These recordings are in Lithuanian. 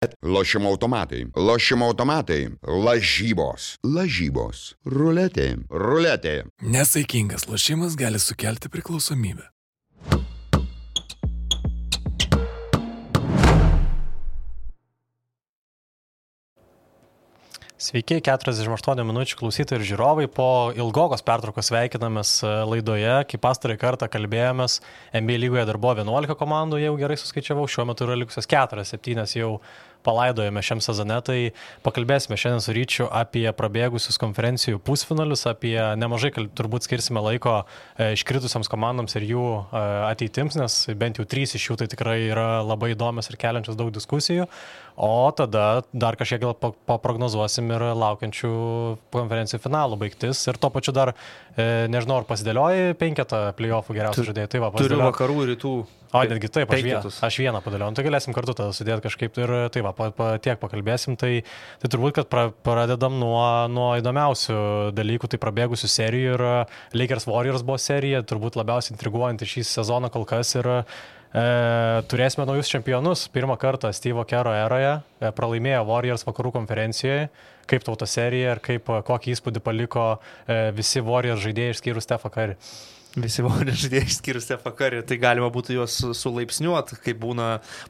rulet, lošimo automatai, lažybos, ruletė. Nesaikingas lošimas gali sukelti priklausomybę. Sveiki, 48 minučių klausytojai ir žiūrovai. Po ilgokos pertraukos sveikinamės laidoje. Kai pastarąjį kartą kalbėjomės, NBA lygoje dar buvo 11 komandų, jau gerai suskaičiavau, šiuo metu yra likusios 4-7 jau palaidojame šiam sezone, tai pakalbėsime šiandien su Ryčiu apie prabėgusius konferencijų pusfinalius, apie nemažai turbūt skirsime laiko iškritusiams komandoms ir jų ateitims, nes bent jau 3 iš jų tai tikrai yra labai įdomios ir keliančios daug diskusijų, o tada dar kažkiek gal paprognozuosim ir laukiančių konferencijų finalų baigtis ir tuo pačiu dar, nežinau, ar pasidėlioji 5 playoffų geriausių žaidėjų. Tai va, turiu vakarų ir rytų. O, netgi taip, aš vieną padėliau, tai galėsim kartu tada sudėti kažkaip ir tai va, tiek pakalbėsim, tai turbūt, kad pradedam nuo įdomiausių dalykų, tai prabėgusių serijų ir Lakers Warriors buvo serija, turbūt labiausiai intriguojantį šį sezoną kol kas ir turėsime naujus čempionus, pirmą kartą Steve'o Kero eroje, pralaimėjo Warriors vakarų konferencijoje, kaip tau ta serija ir kokį įspūdį paliko visi Warriors žaidėjai išskyrus Stephą Curry. Visi Warriors žaidėjai išskyrus Stephą Curry, tai galima būtų juos sulaipsniuoti, kaip būna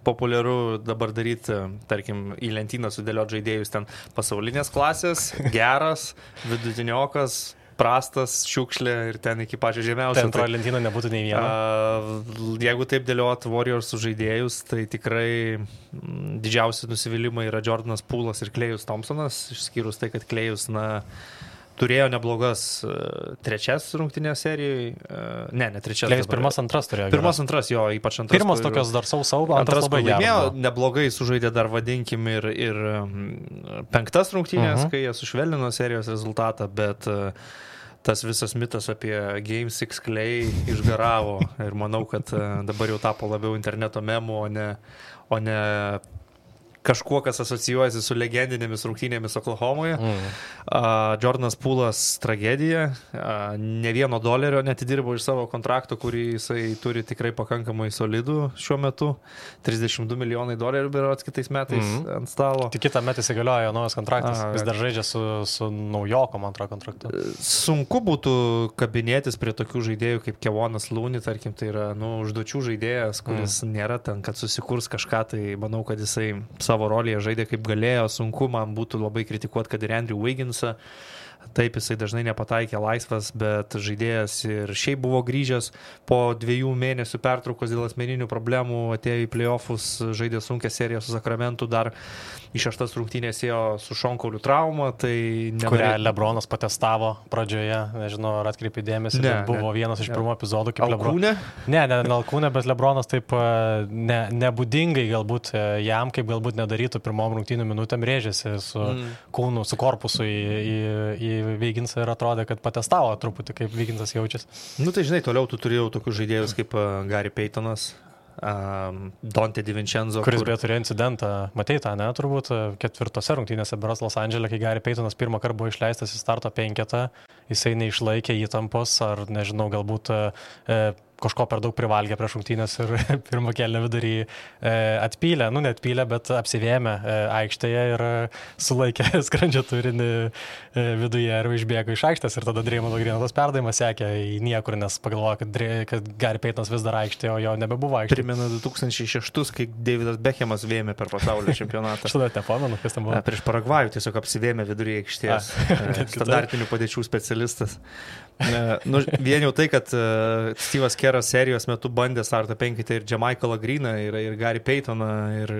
populiaru dabar daryti, tarkim, į lentyną sudėlioti žaidėjus ten pasaulinės klasės, geras, vidutiniokas, prastas, šiukšlė ir ten iki pačio žemiausio. Ten antroje lentynoje nebūtų nei vieno. Jeigu taip dėliot Warriors žaidėjus, tai tikrai didžiausi nusivylimai yra Jordanas Poolas ir Klejus Thompsonas, išskyrus tai, kad Klejus, turėjo neblogas trečias rungtynės serijoje. Ne trečias. Klejus pirmas, antras turėjo. Pirmas, antras, jo, ypač antras. Pirmas tokios dar sau, antras labai geras. Neblogai sužaidė dar, vadinkim, ir 5 rungtynės, kai jie sušvelnino serijos rezultatą, bet tas visas mitas apie Game 6 Klay išgaravo ir manau, kad dabar jau tapo labiau interneto memų, o ne kažkuo, kas asocijuojasi su legendinėmis rungtynėmis Oklahomoje. Jordanas Poolas tragedija. Ne $1 netidirbo iš savo kontrakto, kurį jisai turi tikrai pakankamai solidų šiuo metu. $32 milijonai berods kitais metais ant stalo. Tik kitą metą įsigaliojo naujas kontraktas. Vis dar žaidžia su naujokom antrą kontraktu. Sunku būtų kabinėtis prie tokių žaidėjų kaip Kevonas Looney, tarkim, tai yra užduočių žaidėjas, kuris nėra ten, kad susikurs kažką, tai manau, kad jisai savo rolėje žaidė kaip galėjo, sunku man būtų labai kritikuoti, kad ir Andrew Wigginsą, taip jisai dažnai nepataikė laisvas, bet žaidėjas ir šiaip buvo grįžęs po 2 mėnesių pertraukos dėl asmeninių problemų, atėjo į playoffus, žaidė sunkią seriją su Sakramentu, dar į 6 rungtynės ėjo su šonkaulių trauma, tai kurią LeBronas patestavo pradžioje, nežinau, ar atkreipė dėmesį, bet buvo vienas iš pirmų epizodų kaip Alkūnė? Ne Alkūnė, bet LeBronas taip nebūdingai galbūt jam, kaip galbūt nedarytų pirmom rungtynių minutėm, rėžėsi su kūnu, su korpusu į Wigginsą ir atrodė, kad patestavo truputį, kaip Wigginsas jaučiasi. Tai žinai, toliau tu turėjau tokius žaidėjus kaip Gary Paytonas, Dante DiVincenzo, kuris beje turėjo incidentą, matei tą, ne, turbūt 4 rungtynėse berods Los Andžele, kai Gary Paytonas pirmą kartą buvo išleistas į starto 5, jisai neišlaikė įtampos, ar nežinau, galbūt kažko per daug privalgė prieš rungtynės ir pirmą kėlinio vidurį atpylė, neatpylė, bet apsivėmė aikštėje ir sulaikė skrandžio turinį viduje ir išbėgo iš aikštės ir tada Draymond Green'o tas perdavimas sekė į niekur, nes pagalvojo, kad Gary Paytonas vis dar aikštėje, o jo nebebuvo aikštėje. Primenu 2006, kai Davidas Beckhamas vėmė per pasaulio čempionatą. Aš tada nepamenu, kas ten buvo. Prieš Paragvajų tiesiog apsivėmė viduryje aikštės. Standartinių padėčių specialistas. Vien jau tai, kad Steve'as Keras serijos metu bandė startą 5 ir Jamaikalą Greeną ir Gary Paytoną ir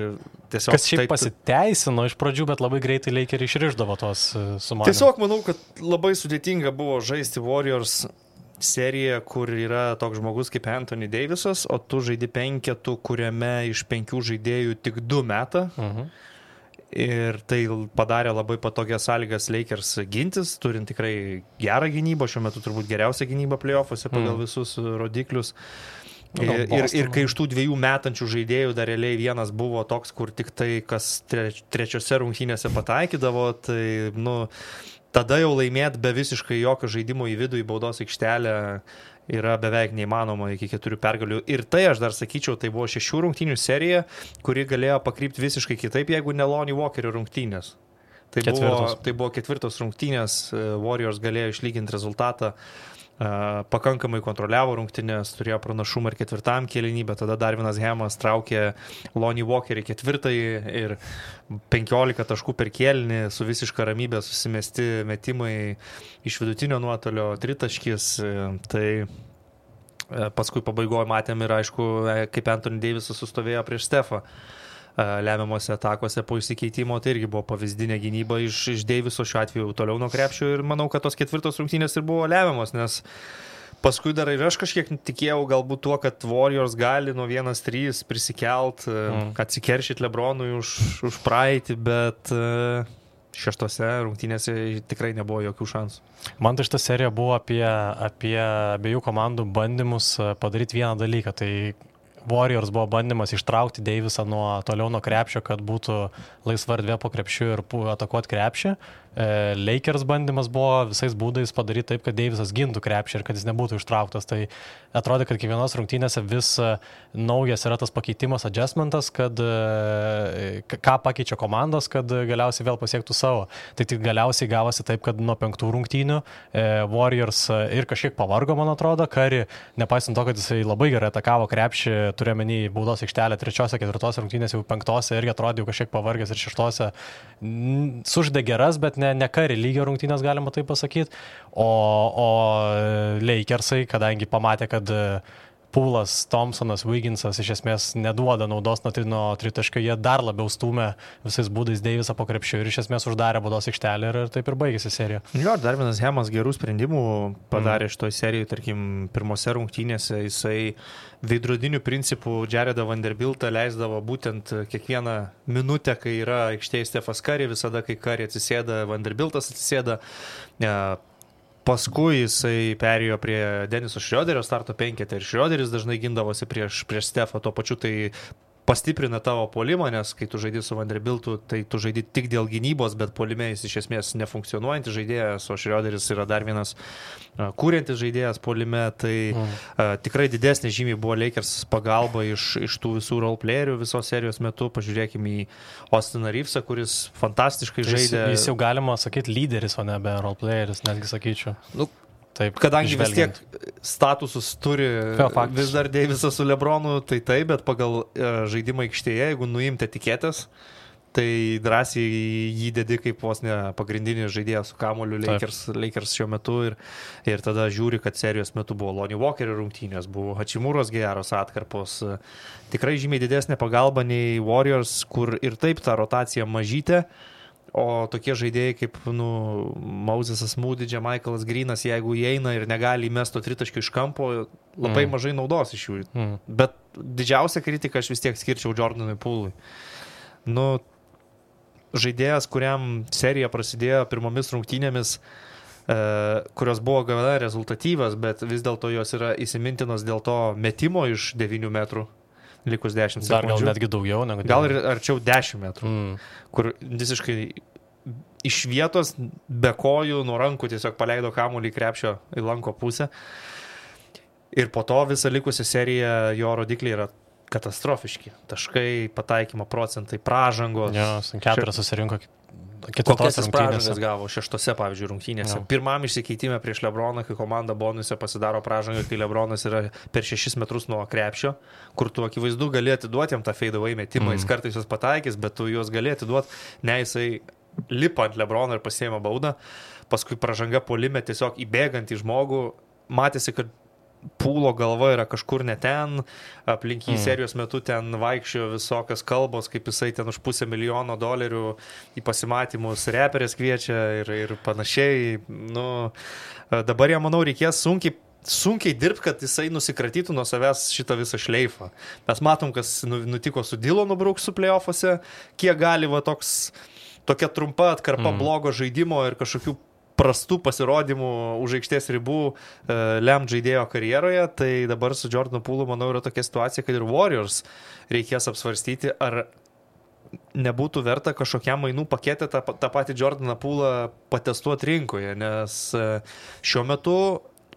tiesiog... Kas šiaip pasiteisino iš pradžių, bet labai greitai Lakers išrišdavo tos sumanymus. Tiesiog manau, kad labai sudėtinga buvo žaisti Warriors seriją, kur yra toks žmogus kaip Anthony Davisas, o tu žaidi 5, kuriame iš 5 žaidėjų tik 2 meta. Ir tai padarė labai patogias sąlygas Lakers gintis, turint tikrai gerą gynybą, šiuo metu turbūt geriausia gynyba play-offuose pagal visus rodiklius. Ir kai iš tų 2 metančių žaidėjų dar realiai vienas buvo toks, kur tik tai, kas 3 rungtynėse pataikydavo, tai tada jau laimėt be visiškai jokio žaidimo į vidų, į baudos aikštelę yra beveik neįmanoma iki 4 pergalių. Ir tai, aš dar sakyčiau, tai buvo 6 rungtynių serija, kuri galėjo pakrypti visiškai kitaip, jeigu ne Lonnie Walkerio rungtynės. Tai buvo 4 rungtynės, Warriors galėjo išlyginti rezultatą, pakankamai kontroliavo rungtynės, turėjo pranašumą ir 4 kėlinį, bet tada Darvinas Hamas traukė Lonnie Walkerį 4 ir 15 taškų per kėlinį su visiška ramybė susimesti metimai iš vidutinio nuotolio, 3 taškis. Tai paskui pabaigoje matėm ir aišku, kaip Anthony Davisas sustovėjo prieš Stephą lemiamuose atakuose po įsikeitimo, tai irgi buvo pavyzdinė gynyba iš Daviso šiuo atveju toliau nuo krepšio ir manau, kad tos 4 rungtynės ir buvo lemiamos, nes paskui dar ir aš kažkiek tikėjau galbūt tuo, kad Warriors gali nuo 1-3 prisikelt, atsikeršyti LeBronui už praeitį, bet 6 rungtynėse tikrai nebuvo jokių šansų. Man tai šita serija buvo apie abiejų komandų bandymus padaryti vieną dalyką, tai Warriors buvo bandymas ištraukti Davisą toliau nuo krepšio, kad būtų laisva erdvė po krepšiu ir atakuoti krepšį. Lakers bandymas buvo visais būdais padaryti taip, kad Davisas gintų krepšį ir kad jis nebūtų ištrauktas. Tai atrodė, kad kiekvienos rungtynėse vis naujas yra tas pakeitimas, adjustmentas, kad ką pakeičia komandos, kad galiausiai vėl pasiektų savo. Tai tik galiausiai gavosi taip, kad nuo 5 rungtynių Warriors ir kažkiek pavargo, man atrodo, Curry, nepaisant to, kad jisai labai gerai atakavo krepšį, turėjo menį baudos aikštelę 3-4 rungtynės, jau 5 irgi atrodė jau kažkiek pavargęs ir 6 suždė geras, bet ne Curry lygio rungtynės, galima taip pasakyti. O Lakersai, kadangi pamatė, kad Poolas, Thompsonas, Wigginsas iš esmės neduoda naudos nuo tritaškio, jie dar labiau stūmė visais būdais Davisą po krepšiu ir iš esmės uždarė baudos aikštelę ir taip ir baigėsi serija. Jo, Darvinas Hamas gerų sprendimų padarė šitoj serijai, tarkim, pirmose rungtynėse jisai veidrodinių principų Jaredą Vanderbiltą leisdavo būtent kiekvieną minutę, kai yra aikštėje Stephas Curry, visada kai Curry atsisėda, Vanderbiltas atsisėda. Paskui jisai perėjo prie Deniso Schroederio starto 5 ir Schroederis dažnai gindavosi prieš Stephą, tuo pačiu tai pastiprina tavo puolimą, nes kai tu žaidži su Vanderbiltu, tai tu žaidži tik dėl gynybos, bet puolime jis iš esmės nefunkcionuojantis žaidėjas, o Schroederis yra dar vienas kūriantis žaidėjas puolime, tai tikrai didesnė žymiai buvo Lakers pagalba iš tų visų roleplayerių visos serijos metu. Pažiūrėkime į Austiną Reevesą, kuris fantastiškai žaidė. Jis jau galima sakyti lyderis, o nebe roleplayeris, netgi sakyčiau. Taip, kadangi vis tiek statusus turi vis dar Davisas su LeBronu, tai taip, bet pagal žaidimą aikštėje, jeigu nuimti etiketės, tai drąsiai jį dedi kaip vos ne pagrindinį žaidėją su kamuoliu Lakers šiuo metu ir tada žiūri, kad serijos metu buvo Lonnie Walkerio rungtynės, buvo Hachimūros geros atkarpos, tikrai žymiai didesnė pagalba nei Warriors, kur ir taip ta rotacija mažytė. O tokie žaidėjai kaip Mosesas Moody, Michaelas Greenas, jeigu įeina ir negali įmesto tritaškių iš kampo, labai mažai naudos iš jų. Bet didžiausia kritika aš vis tiek skirčiau Jordanui Poolui. Žaidėjas, kuriam serija prasidėjo pirmomis rungtynėmis, kurios buvo gana rezultatyvas, bet vis dėlto jos yra įsimintinos dėl to metimo iš 9 metrų. Likus 10 sekundžių. Dar gal netgi daugiau negu 10. Gal ir arčiau 10 metrų, kur visiškai iš vietos be kojų nuo rankų tiesiog paleido kamuolį į krepšio į lanko pusę. Ir po to visą likusią seriją jo rodikliai yra katastrofiški. Taškai, pataikymo procentai, pražangos. Jo, 4 susirinko. Kokias jis pražangas gavo 6, pavyzdžiui, rungtynėse. Pirmam išsikeitime prieš LeBroną, kai komanda bonuse pasidaro pražangą, kai LeBronas yra per 6 metrus nuo krepšio, kur tu akivaizdu gali atiduoti jam tą fade-away metimą, jis kartais juos pataikys, bet tu juos gali atiduoti, ne jisai lipa ant LeBroną ir pasiėma baudą, paskui pražanga puolime tiesiog įbėgant į žmogų, matėsi, kad Poolo galva yra kažkur ne ten, aplink jį serijos metu ten vaikščiojo visokios kalbos, kaip jisai ten už $500,000 į pasimatymus reperės kviečia ir panašiai. Dabar jam, manau, reikės sunkiai dirbti, kad jisai nusikratytų nuo savęs šitą visą šleifą. Mes matom, kas nutiko su Dylanu Brooksu play-offuose, kiek gali tokia trumpa atkarpa blogo žaidimo ir kažkokių prastų pasirodymų už aikštės ribų lem žaidėjo karjeroje, tai dabar su Jordanu Poolu, manau, yra tokia situacija, kad ir Warriors reikės apsvarstyti, ar nebūtų verta kažkokiam mainų paketę tą patį Jordaną Poolą patestuoti rinkoje, nes šiuo metu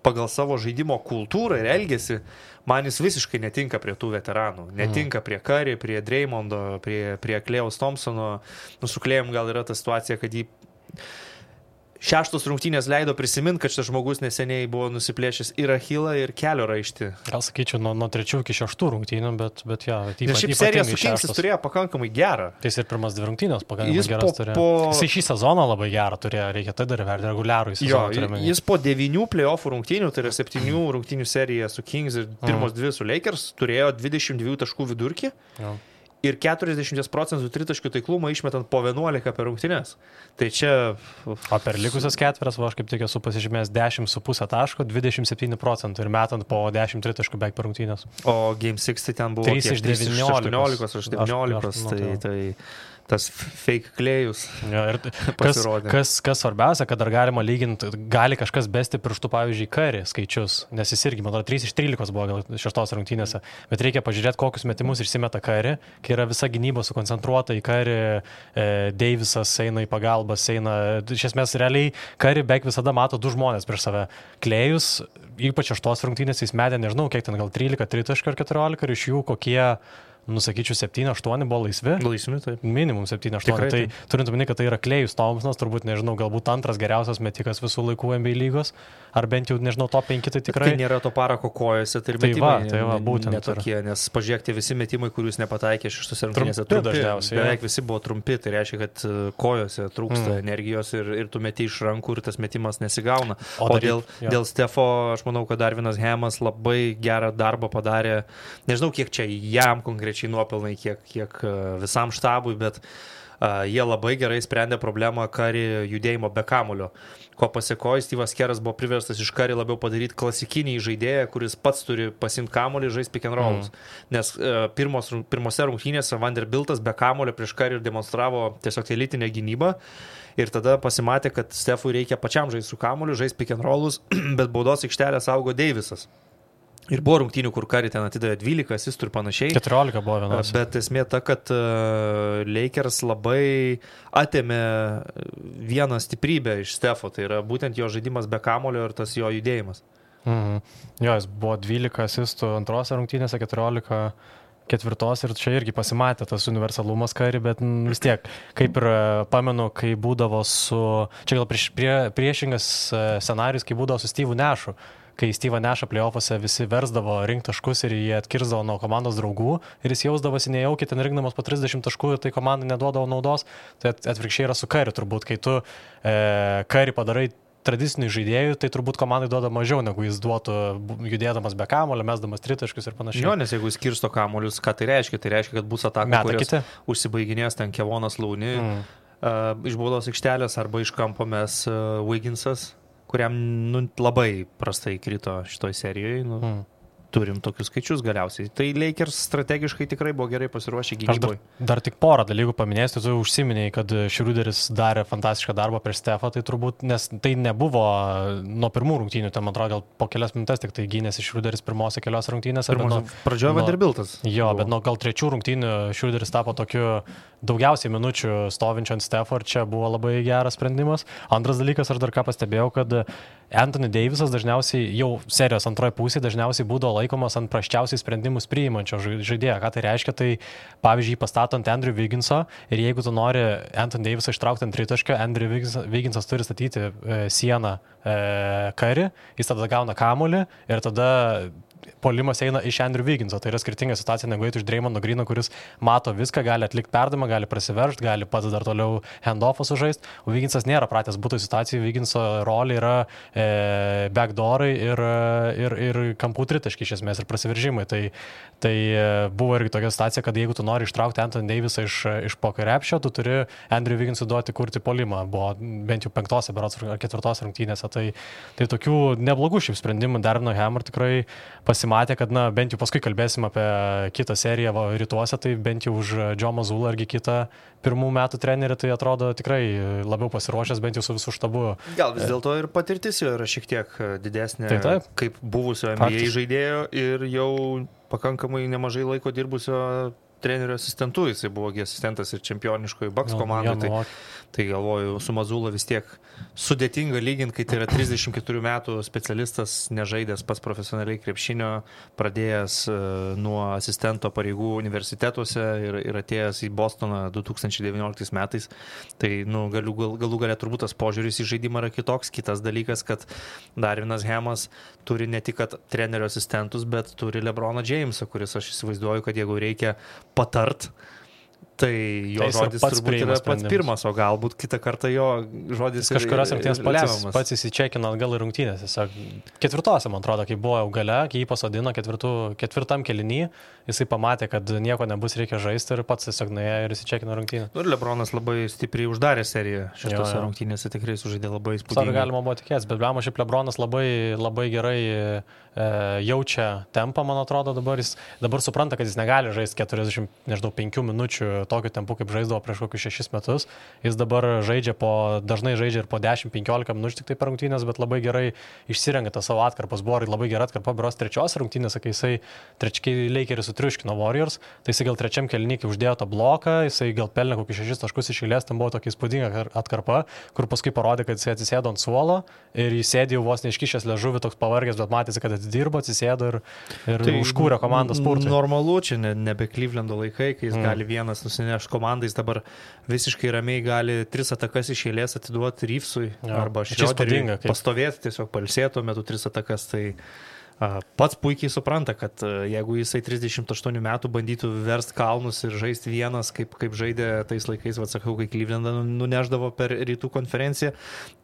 pagal savo žaidimo kultūrą ir elgesį, man jis visiškai netinka prie tų veteranų. Netinka prie Curry, prie Draymondo, prie Klejaus Thompsono. Su Klejum gal yra ta situacija, kad jį šeštos rungtynės leido prisiminti, kad šitas žmogus neseniai buvo nusiplėšęs ir achilą, ir kelio raištį. Gal sakyčiau, nuo 3 iki 6 rungtynių, bet jo. Ir šiaip serija su Kings turėjo pakankamai gerą. Tai jis ir pirmas 2 rungtynės pakankamai geras turėjo. Jis šį sezoną labai gerą turėjo, reikia tai dar verti reguliarų į sezoną. Jis po 9 playoffų rungtynių, tai yra 7 rungtynių serija su Kings ir pirmos 2 su Lakers, turėjo 22 taškų vidurkį. Jo. Ir 40% tritaškių taiklumą išmetant po 11 per rungtynes. Tai čia... O per likusias ketveras, aš kaip tik esu pasižymėjęs 10,5 taško, 27% ir metant po 10 tritaškų beveik per rungtynės. O Game 6 tai ten buvo 3 iš 18 ar 17, tai tas fake Klejus. Ja, kas svarbiausia, kad dar galima lyginti, gali kažkas besti pirštų, pavyzdžiui, Curry skaičius, nes jis irgi, man atrodo, 3 iš 13 buvo gal 6 rungtynėse, bet reikia pažiūrėti, kokius metimus išsimeta Curry, kai yra visa gynyba sukoncentruota į Curry, Davisas eina į pagalbas, iš esmės realiai Curry beveik visada mato 2 žmonės prieš save. Klejus, ypač 6 rungtynėse jis metė, nežinau, kiek ten gal 13 tritaškių ar 14 ir iš jų kokie... Nusakyčiau, 7-8 buvo laisvi. Laisvi, taip. Minimum 7-8. Tai turint omeny, kad tai yra Klejus Thompsonas, turbūt, nežinau, galbūt antras geriausias metikas visų laikų NBA lygos, ar bent jau, nežinau, top 5 tai tikrai. Tai nėra to parako kojose, tai ir metimai būtent netokie, nes pažiūrėkite, visi metimai, kuriuos nepataikė šeštose rungtynėse trumpi. Beveik visi buvo trumpi, tai reiškia, kad kojose trūksta energijos ir tu meti iš rankų ir tas metimas nesigauna. O dėl Stefo, aš manau, kad Darvinas Hamas labai gerą darbą padarė. Nežinau, kiek čia jam konkrečiai nuopelnai, kiek visam štabui, bet jie labai gerai sprendė problemą Curry judėjimo be kamulio. Ko pasiekojo, Steve'as Keras buvo priverstas iš Curry labiau padaryti klasikinį žaidėją, kuris pats turi pasimti kamulį ir žaisti pick and rollus. Nes pirmose rungtynėse Vanderbiltas be kamulio prieš Curry demonstravo tiesiog elitinę gynybą. Ir tada pasimatė, kad Stefui reikia pačiam žaisti su kamuliu, žaisti pick and rollus, bet baudos aikštelę saugo Davisas. Ir buvo rungtynių, kur Curry ten atidavė 12 asistų ir panašiai. 14 buvo vienas. Bet esmė ta, kad Lakers labai atėmė vieną stiprybę iš Stefo. Tai yra būtent jo žaidimas be kamulio ir tas jo judėjimas. Jo, jis buvo 12 asistų antrose rungtynėse, 14 ketvirtos ir čia irgi pasimatė tas universalumas Curry, bet vis tiek, kaip ir pamenu, kai būdavo su... Čia gal priešingas scenarius, kai būdavo su Steve'u Nashu. Kai Steve'ą Nashą play-offuose visi versdavo rinkti taškus ir jie atkirsdavo nuo komandos draugų ir jis jausdavosi nejaukiai, ten rinkdamas po 30 taškų ir tai komandai neduodavo naudos, tai atvirkščiai yra su Curry turbūt, kai tu Curry padarai tradicinių žaidėjų, tai turbūt komandai duoda mažiau, negu jis duotų judėdamas be kamulio, mesdamas tritaškius ir panašiai. Jo, nes jeigu jis kirsto kamuolius, ką tai reiškia? Tai reiškia, kad bus ataka, kurios užsibaiginės ten Kevonas Looney iš baudos aikštelės arba iš kampo mes Wigginsas, kuriam labai prastai krito šitoj serijoje. Turim tokius skaičius galiausiai. Tai Lakers strategiškai tikrai buvo gerai pasiruošę gynyboje. Dar tik porą dalykų paminėsiu, tu užsiminėjai, kad Schroederis darė fantastišką darbą prieš Stefą, tai turbūt, nes tai nebuvo nuo pirmų rungtynių, ten man atrodo, gal po kelias minutės tik tai gynėsi Schroederis pirmose kelios rungtynėse. Pradžioje Vanderbiltas. Jo, bet nuo gal 3 rungtynių Schroederis tapo tokiu daugiausiai minučių stovinčiu ant Stefo ir čia buvo labai geras sprendimas. Antras dalykas, aš dar ką pastebėjau, kad Anthony Davisas dažniausiai jau serijos antroje pusėje dažniausiai būdavo laikomas ant prasčiausiai sprendimus priimančio žaidėjo. Ką tai reiškia? Tai pavyzdžiui, pastatant Andrew Wigginso ir jeigu tu nori Anthony Davisą ištraukti ant tritaškio, Andrew Wigginsas turi statyti sieną Curry, jis tada gauna kamuolį ir tada puolimas eina iš Andrew Wigginso. Tai yra skirtinga situacija negu iš Draymondo Greeno, kuris mato viską, gali atlikti perdavimą, gali prasiveržti, gali pats dar toliau handoffą sužaisti. O Wigginsas nėra pratęs būtų situacijų. Wigginso rolė yra backdoorai ir kampų tritaškiai iš esmės ir prasiveržimai. Tai buvo irgi tokia situacija, kad jeigu tu nori ištraukti Anthony Davisą iš po krepšio, tu turi Andrew Wigginsui duoti kurti puolimą. Buvo bent jau 5 berods ar 4 rungtynėse. Tai tokių neblogų šiaip sprendimų Darvino Hammer tikrai pasimatė, kad bent jau paskui kalbėsim apie kitą seriją rytuose, tai bent jau už Joe Mazzullą argi kitą pirmų metų trenerį, tai atrodo tikrai labiau pasiruošęs bent jau su visų štabu. Gal vis dėlto ir patirtis jo yra šiek tiek didesnė, kaip buvusio NBA žaidėjo ir jau pakankamai nemažai laiko dirbusio trenerio asistentu, jisai buvo asistentas ir čempioniškoji Bucks komandai. Tai galvoju, su Mazula vis tiek sudėtinga lyginti, kai tai yra 34 metų specialistas, nežaidęs pats profesionaliai krepšinio, pradėjęs nuo asistento pareigų universitetuose ir atėjęs į Bostoną 2019 metais. Tai galų galia turbūt tas požiūris į žaidimą yra kitoks. Kitas dalykas, kad Darvinas Hamas turi ne tik trenerio asistentus, bet turi LeBroną Jamesą, kuris aš įsivaizduoju, kad jeigu reikia patart, tai jo žodis turbūt yra pats pirmas, o galbūt kitą kartą jo žodis kažkurios rungtynės pats įsičekino atgal į rungtynės. Ketvirtose, man atrodo, kai buvo jau gale, kai jį pasodino ketvirtam kėliny, jisai pamatė, kad nieko nebus, reikia žaisti ir pats tiesiog nuėjo ir įsičekino rungtynę. Ir LeBronas labai stipriai uždarė seriją šitose rungtynėse, tikrai sužaidė labai įspūdingai. Galima buvo tikėtis, bet blemo šiaip LeBronas labai gerai jaučia tempą, man atrodo, dabar supranta, kad jis negali žaisti 45 minučių tokiu tempu, kaip žaisdavo prieš kokius 6 metus. Jis dabar dažnai žaidžia ir po 10-15 minučių tik tai per rungtynės, bet labai gerai išsirengia tą savo atkarpas. Buvo labai gera atkarpa, beros trečios rungtynės, kai jisai Lakeris sutriuškino Warriors, tai jisai gal trečiam kėliny, kai uždėjo tą bloką, jisai gal pelnė kokius 6 taškus iš eilės, ten buvo tokia įspūdinga atkarpa, kur paskui parodė, kad jisai atsisėdo ant suolo ir jis sėdėjo vos neiškišęs liežuvį, toks pavargęs, bet matėsi, kad atidirbo, atsisėdo ir tai užkūrė komandą spurtui. Normalu, čia nebe Clevelando laikai, kai jis gali vienas nusinešti komandą, jis dabar visiškai ramiai gali 3 atakas iš eilės atiduoti Reevesui arba Schroederiui, pastovėti, tiesiog palsėti tuo metu 3 atakas. Tai pats puikiai supranta, kad jeigu jisai 38 metų bandytų verst kalnus ir žaisti vienas, kaip žaidė tais laikais, sakau, kai Clevelandą nuneždavo per rytų konferenciją,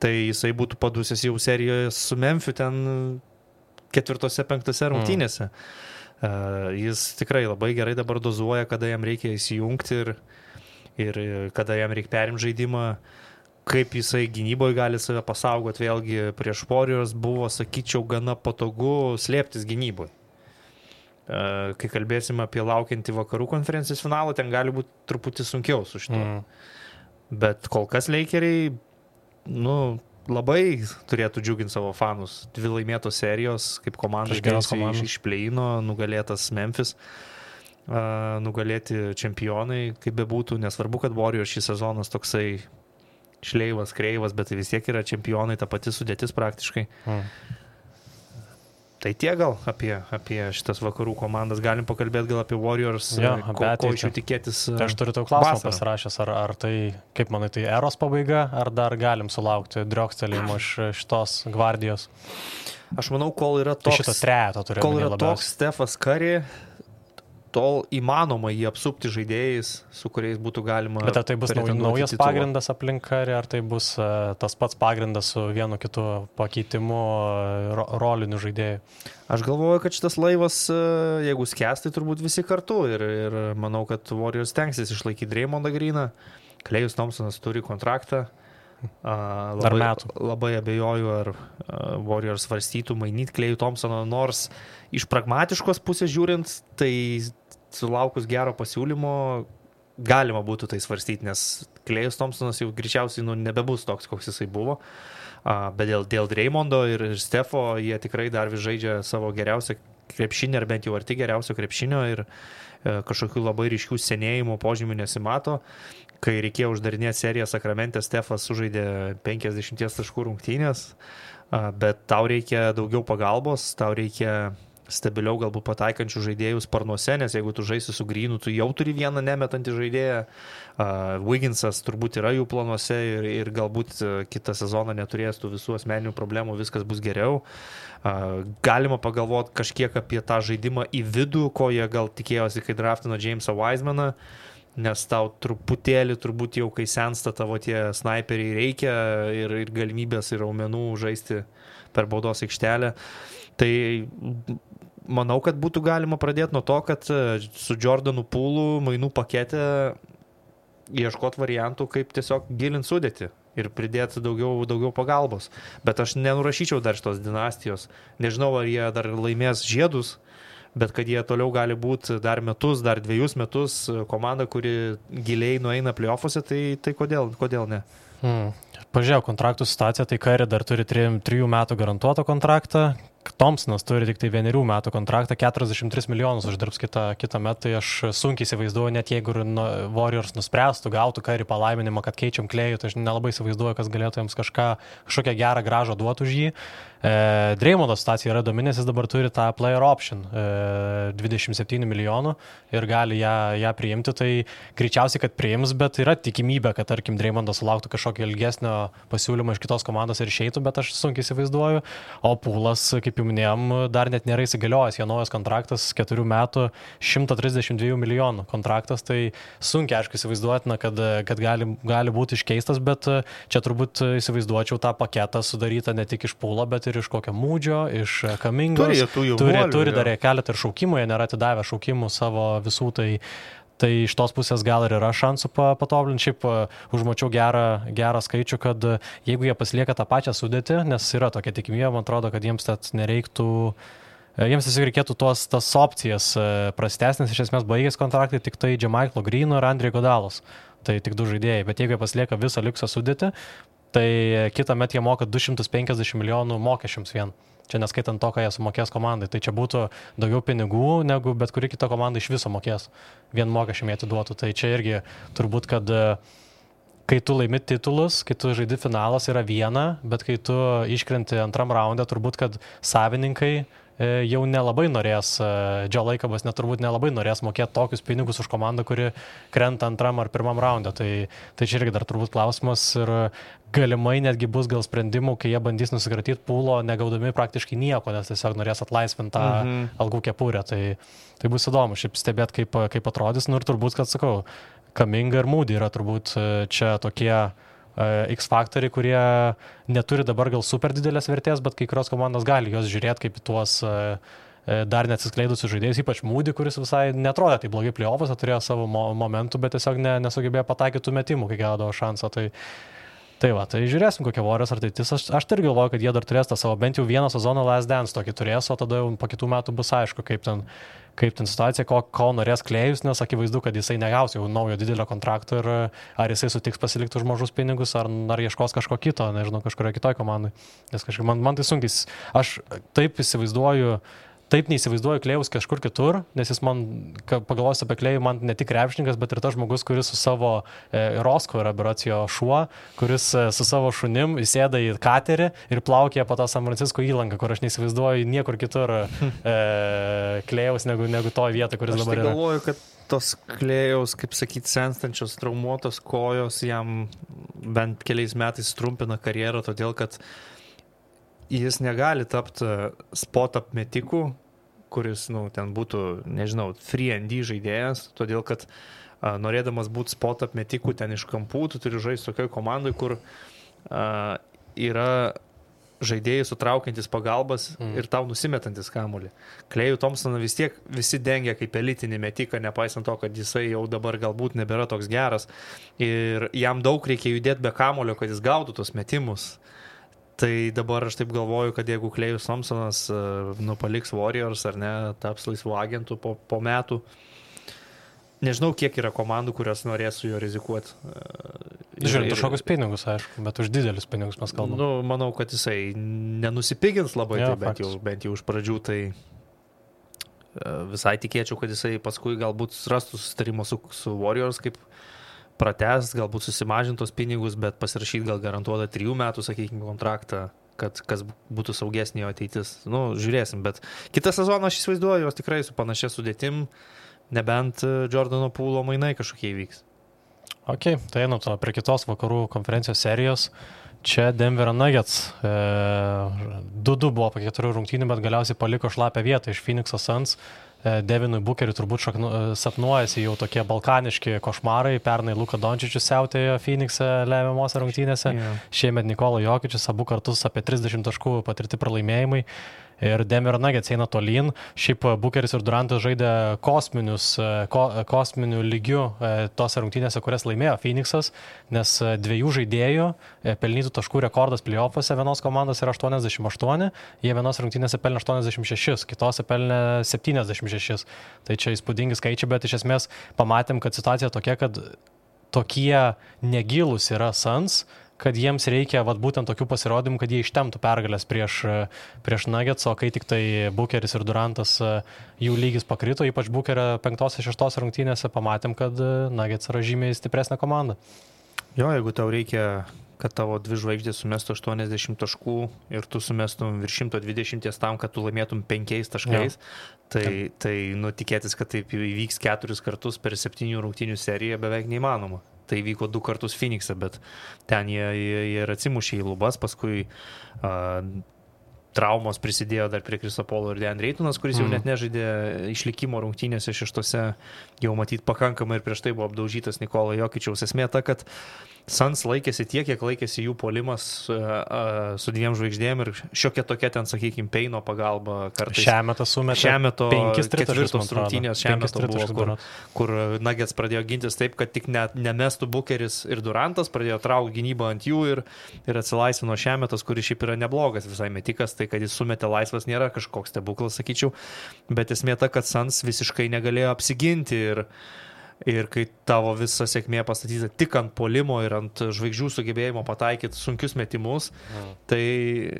tai jisai būtų padusęs jau serijoje su Memphiu ten 4-5 rungtynėse. Jis tikrai labai gerai dabar dozuoja, kada jam reikia įsijungti ir kada jam reikia perimti žaidimą. Kaip jisai gynyboje gali save pasaugoti, vėlgi prieš Warriors buvo, sakyčiau, gana patogu slėptis gynyboje. Kai kalbėsim apie laukiantį vakarų konferencijos finalą, ten gali būti truputį sunkiau su šituo. Bet kol kas Lakeriai, labai turėtų džiuginti savo fanus. 2 laimėtos serijos, kaip komanda iš play-ino, nugalėtas Memphis, nugalėti čempionai, kaip bebūtų, nesvarbu, kad Warriors šį sezonas toksai šleivas, kreivas, bet tai vis tiek yra čempionai, ta pati sudėtis praktiškai. Tai tiek gal apie šitas vakarų komandas. Galim pakalbėti gal apie Warriors, ko iš jų tikėtis. Tai aš turiu tau klausimą pasirašęs, ar tai, kaip manai, tai eros pabaiga, ar dar galim sulaukti driokstelėjimo iš šitos gvardijos? Aš manau, kol yra toks Stefas Curry, tol įmanoma jį apsupti žaidėjais, su kuriais būtų galima... Bet ar tai bus naujas pagrindas aplink Curry, ar tai bus tas pats pagrindas su vienu kitu pakeitimu rolinių žaidėjų? Aš galvoju, kad šitas laivas, jeigu skęs, tai turbūt visi kartu ir manau, kad Warriors stengsis išlaikyti Draymondą Greeną. Klejus Thompsonas turi kontraktą. Labai abejoju, ar Warriors svarstytų mainyti Klejų Thompsoną, nors iš pragmatiškos pusės žiūrint, tai sulaukus gero pasiūlymo galima būtų tai svarstyti, nes Klejus Thompsonas jau greičiausiai nebebus toks, koks jisai buvo. Bet dėl Draymondo ir Stefo jie tikrai dar vis žaidžia savo geriausią krepšinį, ar bent jau arti geriausio krepšinio, ir kažkokių labai ryškių senėjimo požymių nesimato. Kai reikėjo uždarinėti seriją Sakramente, Stefas sužaidė 50 taškų rungtynės, bet tau reikia daugiau pagalbos, tau reikia stabiliau galbūt pataikančių žaidėjų sparnuose, nes jeigu tu žaisi su Greenu, tu jau turi vieną nemetantį žaidėją. Wigginsas turbūt yra jų planuose ir galbūt kitą sezoną neturės tų visų asmeninių problemų, viskas bus geriau. Galima pagalvoti kažkiek apie tą žaidimą į vidų, ko jie gal tikėjosi, kai draftino Jamesą Wisemaną, nes tau truputėlį turbūt jau, kai sensta tavo tie snaiperiai, reikia ir galimybės ir raumenų žaisti per baudos aikštelę. Tai manau, kad būtų galima pradėti nuo to, kad su Jordanu Poolu mainų pakete ieškoti variantų, kaip tiesiog gilinti sudėtį ir pridėti daugiau pagalbos. Bet aš nenurašyčiau dar šitos dinastijos. Nežinau, ar jie dar laimės žiedus, bet kad jie toliau gali būti dar metus, dar 2 metus komanda, kuri giliai nueina play-offuose, tai kodėl ne? Pažiūrėjau kontraktų situaciją, tai Curry dar turi 3 metų garantuotą kontraktą, Thompsonas turi tik tai 1 metų kontraktą, 43 milijonus uždirbs kitą metą, tai aš sunkiai įsivaizduoju, net jeigu Warriors nuspręstų, gautų Curry palaiminimą, kad keičiam Klejų, tai aš nelabai įsivaizduoju, kas galėtų jiems kažkokią gerą gražą duoti už jį. Draymondo situacija yra įdomi, nes jis dabar turi tą player option 27 milijonų ir gali ją priimti, tai greičiausiai, kad priims, bet yra tikimybė, kad tarkim Draymondas sulauktų kažkokio ilgesnio pasiūlymo iš kitos komandos ir išeitų, bet aš sunkiai įsivaizduoju, o Poolas, kaip jau minėjom, dar net nėra įsigaliojęs, jo naujas kontraktas 4 metų 132 milijonų kontraktas, tai sunkiai aišku įsivaizduotina, kad gali būti iškeistas, bet čia turbūt įsivaizduočiau tą paketą sudarytą ne tik iš Poolo, bet ir iš kokio Mūdžio, iš Kamingos. Turi dar keletą ir šaukimų, jie nėra atidavę šaukimų savo visų, tai iš tos pusės gal ir yra šansų patobulinti. Šiaip užmačiau gerą skaičių, kad jeigu jie pasilieka tą pačią sudėtį, nes yra tokia tikimybė, man atrodo, kad jiems nereiktų. Jiems tiesiog reikėtų tas opcijas prastesnės, iš esmės baigės kontraktai tik tai Jamaiklo Greeno ir Andrei Godalos. Tai tik 2 žaidėjai, bet jeigu jie pasilieka visą likusą sudėtį, tai kitą metą jie moka 250 milijonų mokesčiams vien. Čia neskaitant to, ką jie sumokės komandai. Tai čia būtų daugiau pinigų, negu bet kuri kita komanda iš viso mokės. Vien mokesčiam jie atiduotų. Tai čia irgi turbūt, kad kai tu laimi titulus, kai tu žaidi finalas yra viena, bet kai tu iškrenti antram raunde, turbūt, kad savininkai jau nelabai norės, Joe Lakobas turbūt nelabai norės mokėti tokius pinigus už komandą, kuri krenta antram ar pirmam raunde. Tai čia irgi dar turbūt klausimas ir galimai netgi bus gal sprendimų, kai jie bandys nusikratyti Poolo, negaudami praktiškai nieko, nes tiesiog norės atlaisvinti tą algų kepurę. Tai bus įdomu šiaip stebėti, kaip atrodys. Ir turbūt, kad sakau, Kuminga ir Moody yra turbūt čia tokie X faktoriai, kurie neturi dabar gal super didelės vertės, bet kai kurios komandos gali jos žiūrėti kaip tuos dar neatsiskleidusius žaidėjus, ypač Moody, kuris visai netrodė tai blogai play-off'uose, turėjo savo momentų, bet tiesiog nesugebėjo pataikyti tų metimų, kai gaudavo šansą. Tai žiūrėsim, kokia Warriors ateitis. Aš tai galvoju, kad jie dar turės tą savo bent jau vieną sezoną Last Dance tokį turės, o tada jau po kitų metų bus aišku, kaip ten situacija, ko norės Klejus, nes akivaizdu, kad jisai negaus jau naujo didelio kontrakto ir ar jisai sutiks pasilikti už mažus pinigus, ar ieškos kažko kito, nežinau, kažkurio kitoj komandai. Nes kažkaip man tai sunkiai. Aš taip neįsivaizduoju Klejus kažkur kitur, nes jis man, pagalvosiu apie Klejų, man ne tik krepšininkas, bet ir tas žmogus, kuris su savo Roscoe yra beracijo šuo, kuris su savo šunim įsėda į katerį ir plaukia po tą San Francisco įlanką, kur aš neįsivaizduoju niekur kitur Klejus negu to vietą, kuris dabar yra. Aš galvoju, kad tos Klėjaus, kaip sakyti, senstančios traumuotos kojos jam bent keliais metais trumpina karjerą, todėl kad jis negali tapti spot-up metikų, kuris, ten būtų, nežinau, free and D žaidėjas, todėl kad norėdamas būti spot-up metikų ten iš kampų, tu turi žaisti tokioj komandai, kur yra žaidėjai sutraukiantis pagalbas ir tau nusimetantis kamuolį. Klejų Thompsoną vis tiek visi dengia kaip elitinį metiką, nepaisant to, kad jisai jau dabar galbūt nebėra toks geras ir jam daug reikia judėti be kamuolio, kad jis gautų tos metimus. Tai dabar aš taip galvoju, kad jeigu Klejus Thompsonas paliks Warriors ar ne, taps laisvų agentų po metų, nežinau, kiek yra komandų, kurios norės su juo rizikuoti. Žiūrint, kažkokius pinigus, aišku, bet už didelius pinigus mes kalbame. Manau, kad jisai nenusipigins labai, tai bent jau už pradžių, tai visai tikėčiau, kad jisai paskui galbūt rastų susitarimo su Warriors, kaip pratęs, galbūt susimažintos pinigus, bet pasirašyti gal garantuotą 3 metų, sakykime, kontraktą, kad kas būtų saugesnė jo ateitis. Žiūrėsim, bet kitą sezoną aš įsivaizduoju, jos tikrai su panašia sudėtim, nebent Jordano Poolo mainai kažkokie įvyks. Ok, tai prie kitos vakarų konferencijos serijos. Čia Denver Nuggets 2-2 buvo po 4 rungtynių, bet galiausiai paliko šlapę vietą iš Phoenix'o Suns. Devinui Bookeriui turbūt sapnuojasi jau tokie balkaniški košmarai. Pernai Luka Dončičius siautėjo Phoenix'e lemiamose rungtynėse. Šiemet Nikola Jokičius abu kartus apie 30 taškų patirti pralaimėjimai. Ir Denver Nuggets eina tolyn. Šiaip Bookeris ir Durantas žaidė kosminių lygių tose rungtynėse, kurias laimėjo Phoenix'as, nes 2 žaidėjų pelnytų taškų rekordas play-off'uose vienos komandos yra 88, jie vienos rungtynėse pelnė 86, kitose pelnė 76. Tai čia įspūdingi skaičiai, bet iš esmės pamatėm, kad situacija tokia, kad tokie negilūs yra Suns, kad jiems reikia būtent tokių pasirodymų, kad jie ištemtų pergalės prieš Nuggets, o kai tik tai Bookeris ir Durantas jų lygis pakrito, ypač Bookerio 5-6 rungtynėse, pamatėm, kad Nuggets yra žymiai stipresnė komanda. Jo, jeigu tau reikia, kad tavo 2 žvaigždės sumestų 80 taškų ir tu sumestum virš 120 tam, kad tu laimėtum 5 taškais, tai tikėtis, kad taip įvyks 4 kartus per 7 rungtynių seriją beveik neįmanoma. Tai vyko 2 kartus Phoenix'e, bet ten jie ir atsimušė į lubas, paskui traumos prisidėjo dar prie Chriso Paulo ir DeAndre Aytonas, kuris jau net nežaidė išlikimo rungtynėse 6, jau matyt pakankamai ir prieš tai buvo apdaužytas Nikola Jokičiaus. Esmė ta, kad Suns laikėsi tiek, kiek laikėsi jų puolimas su 2 žvaigždėm ir šiokia tokia ten, sakykime, Peino pagalba kartais. Šiametą sumetė. Šiameto 4 rungtynės šiameto buvo, kur Nuggets pradėjo gintis taip, kad tik nemestų Bookeris ir Durantas, pradėjo traukti gynybą ant jų ir atsilaisvino Šiametas, kuris šiaip yra neblogas visai metikas, tai kad jis sumetė laisvas nėra kažkoks stebuklas, sakyčiau, bet esmė ta, kad Suns visiškai negalėjo apsiginti ir kai tavo visa sėkmė pastatyta tik ant puolimo ir ant žvaigždžių sugebėjimo pataikyti sunkius metimus, tai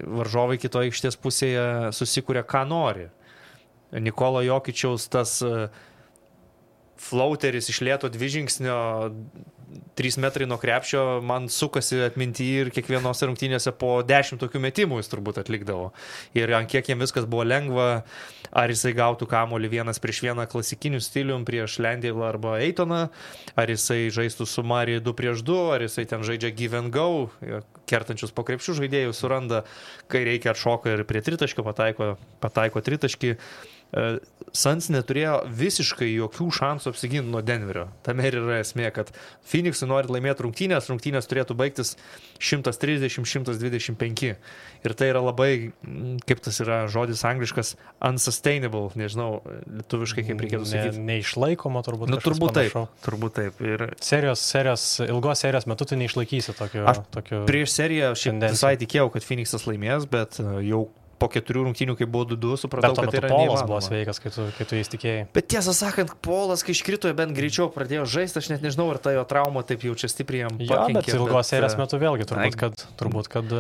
varžovai kitoje aikštės pusėje susikuria, ką nori. Nikola Jokičiaus tas flauteris iš lėto 2 žingsnio 3 metrai nuo krepšio man sukasi atminti ir kiekvienos rungtynėse po 10 tokių metimų jis turbūt atlikdavo. Ir ant kiek jiems viskas buvo lengva, ar jisai gautų kamuolį 1-1 klasikiniu stilium prieš Landale arba Aytoną, ar jisai žaistų su Murray 2-2, ar jisai ten žaidžia give and go, kertančius po krepšių žaidėjus suranda, kai reikia atšoka ir prie tritaškio pataiko tritaškį. Suns neturėjo visiškai jokių šansų apsiginti nuo Denverio. Tame ir yra esmė, kad Phoenix'ui nori laimėti rungtynės turėtų baigtis 130-125. Ir tai yra labai, kaip tas yra žodis angliškas, unsustainable, nežinau, lietuviškai kaip reikėtų sakyti. Neišlaikoma turbūt. Turbūt taip. Ir ilgos serijos metu tu neišlaikysi tokio. Prieš seriją šiandien visai tikėjau, kad Phoenix'as laimės, bet jau po 4 rungtynių, kai buvo 2-2, supratau, kad tai yra neįmanoma. Polas buvo sveikas, kai tu jais tikėjai. Bet tiesą sakant, Polas, kai iškrito, bent greičiau pradėjo žaisti, aš net nežinau, ar ta jo trauma taip jau čia stipriai jam pakenkė. Bet ilgos serijos metu vėlgi turbūt, kad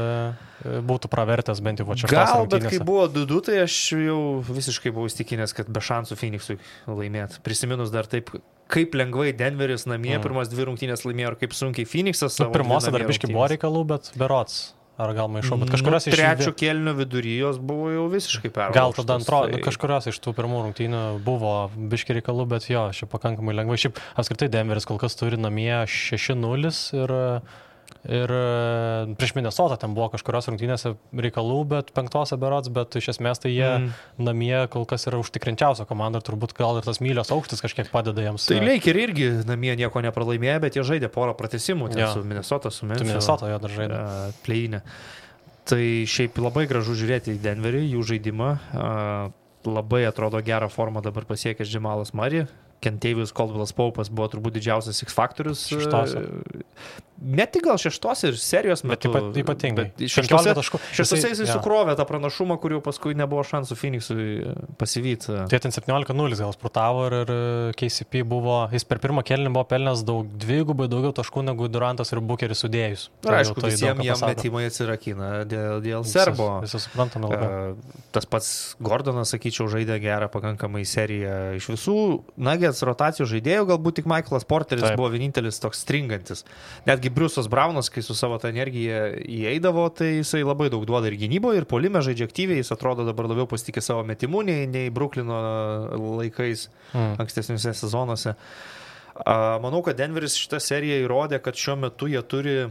būtų pravertęs bent jau 6 rungtynėse. Bet kai buvo 2-2, tai aš jau visiškai buvau įstikinęs, kad be šansų Phoenix'ui laimėti. Prisiminus dar taip, kaip lengvai Denveris namie pirmas 2 rungtynės laimėjo ir kaip sunkiai Phoenix'as savo. Pirmose dar biškį buvo reikalų, bet berods. Ar gal maišau, bet kažkurios iš... Trečio kėlinio viduryjos buvo jau visiškai perlaužtas. Gal tada antro, kažkurios iš tų pirmų rungtynių buvo biški reikalų, bet jo, šiaip pakankamai lengvai. Šiaip apskritai Denveris kol kas turi namie 6-0 ir prieš Minnesotą ten buvo kažkurios rungtynėse reikalų, bet 5 berods, bet iš esmės tai jie namie kol kas yra užtikrinčiausia komanda ir turbūt gal ir tas mylios aukštis kažkiek padeda jiems. Tai Lakers irgi namie nieko nepralaimėjo, bet jie žaidė porą pratęsimų su Minnesota, su Memphis. Minnesota jo dar žaidė. Play-inė. Tai šiaip labai gražu žiūrėti į Denverį, jų žaidimą. Labai atrodo gerą formą dabar pasiekęs Jamalas Murray. Kentavious Caldwellas Pope'as buvo turbūt didžiausias X faktorius. Ne tik gal 6 ir serijos metu. Bet ypatingai. 6 jisai sukrovė tą pranašumą, kuriuo paskui nebuvo šansų Phoenix'ui pasivyti. Tai ten 17-0 gal sprutavo ir KCP buvo, jis per pirmą kėlinį buvo pelnęs dvigubai daugiau taškų negu Durantas ir Bookeris sudėjus. Ir aišku, visiems jam metimai atsirakina dėl serbo. Visi suprantame labai. Tas pats Gordonas, sakyčiau, žaidė gerą pakankamai seriją. Iš visų Nuggets rotacijų žaidėjų galbūt tik Michaelas Porteris buvo vienintelis toks stringantis. Netgi Bruce'as Brownas, kai su savo tą energiją įeidavo, tai jisai labai daug duoda ir gynyboje, ir puolime žaidžia aktyviai, jis atrodo dabar labiau pasitikė savo metimu nei Brooklyno laikais ankstesniuose sezonuose. Manau, kad Denveris šitą seriją įrodė, kad šiuo metu jie turi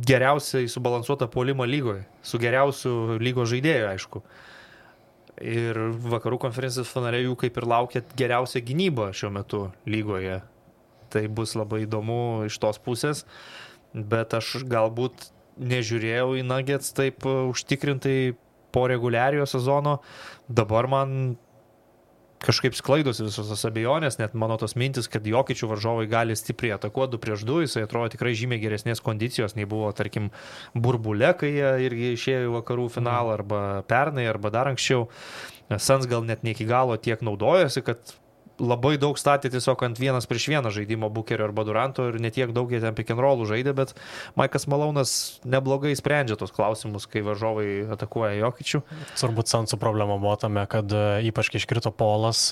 geriausiai subalansuotą puolimą lygoje, su geriausiu lygos žaidėju, aišku. Ir vakarų konferencijos finale jų kaip ir laukia geriausia gynyba šiuo metu lygoje. Tai bus labai įdomu iš tos pusės, bet aš galbūt nežiūrėjau į Nuggets taip užtikrintai po reguliariojo sezono. Dabar man kažkaip sklaidosi visos tos abejonės, net mano tos mintis, kad Jokičių varžovai gali stipriai atakuoti 2-2, jisai atrodo tikrai žymiai geresnės kondicijos, nei buvo, tarkim, Burbule, kai jie irgi išėjo į vakarų finalą, arba pernai, arba dar anksčiau. Suns gal net ne iki galo tiek naudojosi, kad labai daug statė tiesiog ant 1-1 žaidimo Bukerio arba Duranto ir netiek daug jie ten pick and rollų žaidė, bet Maikas Malonas neblogai sprendžia tos klausimus, kai varžovai atakuoja Jokičių. Turbūt Sansų problema buvo tame, kad ypač kai iškrito Polas,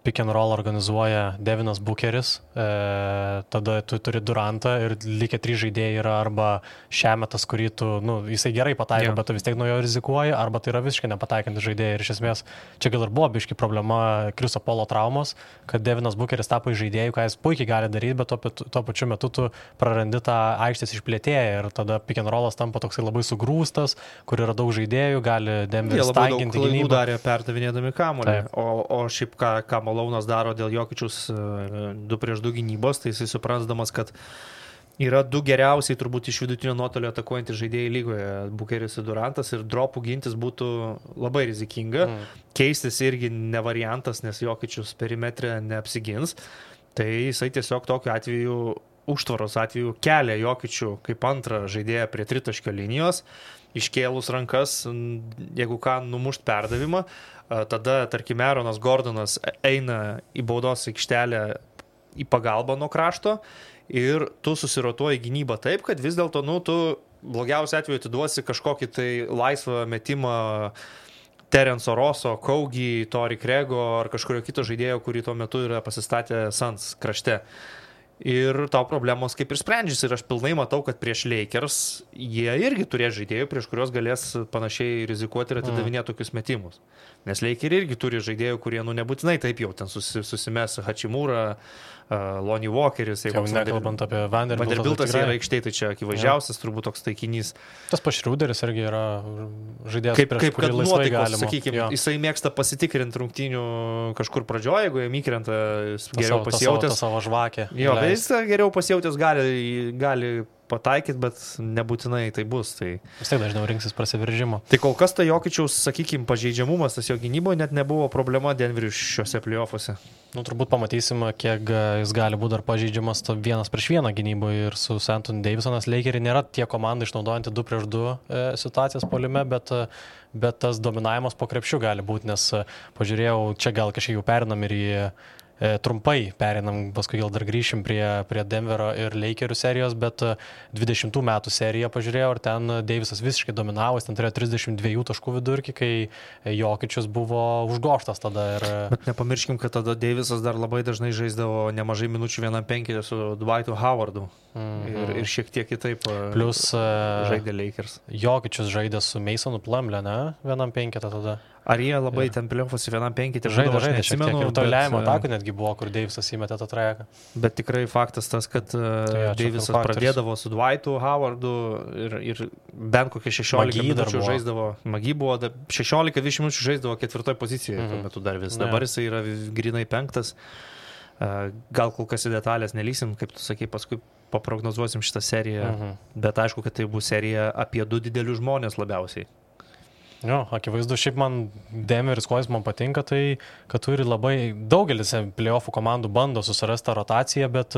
pick and roll organizuoja Devinas Bukeris, tada tu turi Durantą ir likę 3 žaidėjai yra arba Šemetas, kurį tu, jisai gerai pataiko, bet tu vis tiek nuo jo rizikuoji, arba tai yra visiškai nepataikantis žaidėjai. Ir iš esmės, čia gal ir buvo biški problema Kriso Polo traumos, kad Devinas Bukeris tapo žaidėjų, ką jis puikiai gali daryti, bet tuo pačiu metu tu prarandi tą aikštės išplėtėją ir tada pick and rollas tampa toksai labai sugrūstas, kur yra daug žaidėjų, gali Denveris tankinti gynybą. Jie darė perdavinėdami kamuolį, o šiaip ką Malonas daro dėl Jokičius 2-2 gynybos, tai jisai suprasdamas, kad yra 2 geriausiai turbūt iš vidutinio nuotolio atakuojantys žaidėjai lygoje, Bukeris ir Durantas, ir dropų gintis būtų labai rizikinga. Keistis irgi ne variantas, nes Jokičius perimetrė neapsigins. Tai jisai tiesiog tokiu atveju, užtvaros atveju, kelia Jokičių kaip antrą žaidėją prie tritaškio linijos, iškėlus rankas, jeigu ką, numušt perdavimą. Tada, tarkim, Aaronas Gordonas eina į baudos aikštelę į pagalbą nuo krašto ir tu susirotuoji gynybą taip, kad vis dėlto, tu blogiausiu atveju atiduosi kažkokį tai laisvą metimą Terenso Rosso, Kaugi, Tori Krego ar kažkurio kito žaidėjo, kurį tuo metu yra pasistatę Suns krašte. Ir tau problemos kaip ir sprendžiasi ir aš pilnai matau, kad prieš Lakers jie irgi turės žaidėjų, prieš kurios galės panašiai rizikuoti ir atidavinėti tokius metimus. Nes Lakers irgi turi žaidėjų, kurie nebūtinai taip jau ten susimes Hachimura, Lonnie Walkeris. Jau nekalbant apie Vanderbiltas yra aikštėj, tai čia akivaizdžiausias turbūt toks taikinys. Tas Šrūderis irgi yra žaidėjas, prieš kurį laisvai galima. Sakykime, jisai mėgsta pasitikrinti rungtynių kažkur pradžioje, jeigu jam įkrenta geriau pasijautęs. Savo žvakę. Jo, bet jis geriau pasijautęs gali pataikyti, bet nebūtinai tai bus. Tai... Vis tiek dažniau rinksis prasiveržimo. Tai kol kas ta Jokičiaus, sakykime, pažeidžiamumas, tas jo gynyboje net nebuvo problema Denveriui šiuose playoffuose. Turbūt pamatysim, kiek jis gali būti dar pažeidžiamas 1-1 gynyboje ir su Anthony Davisonas. Lakeriai nėra tie komandai išnaudojanti 2-2 situacijas puolime, bet tas dominavimas po krepšiu gali būti, nes pažiūrėjau, čia gal kažkiek jau perinam ir į trumpai perinam, paskui gal dar grįšim prie Denverio ir Lakerių serijos, bet 20 metų seriją pažiūrėjau ir ten Davisas visiškai dominavo, ten turėjo 32 taškų vidurkį, kai Jokičius buvo užgoštas tada. Bet nepamirškim, kad tada Davisas dar labai dažnai žaisdavo nemažai minučių 1-5 su Dwightu Howardu ir šiek tiek kitaip plus žaidė Lakers. Jokičius žaidė su Masonu Plumlee, ne? 1-5 tada. Ar jie labai ten playoffuose 1-5 žaidė, neatsimenu, ir toliajimo atakų netgi buvo, kur Davisas įmetė tą trajeką. Bet tikrai faktas tas, kad Davisas pradėdavo su Dwightu Howardu ir bent kokie 16 minučių žaisdavo. Magi buvo 16-20 minučių žaisdavo 4 pozicijoje, tuo metu dar vis. Dabar jisai yra grinai 5. Gal kol kas į detalės nelysim, kaip tu sakai, paskui paprognozuosim šitą seriją, bet aišku, kad tai bus serija apie 2 didelius žmonės labiausiai. Jo, akivaizdu, šiaip man Denveris, ko jis man patinka, tai kad turi labai daugelis playoffų komandų bando susirasti tą rotaciją, bet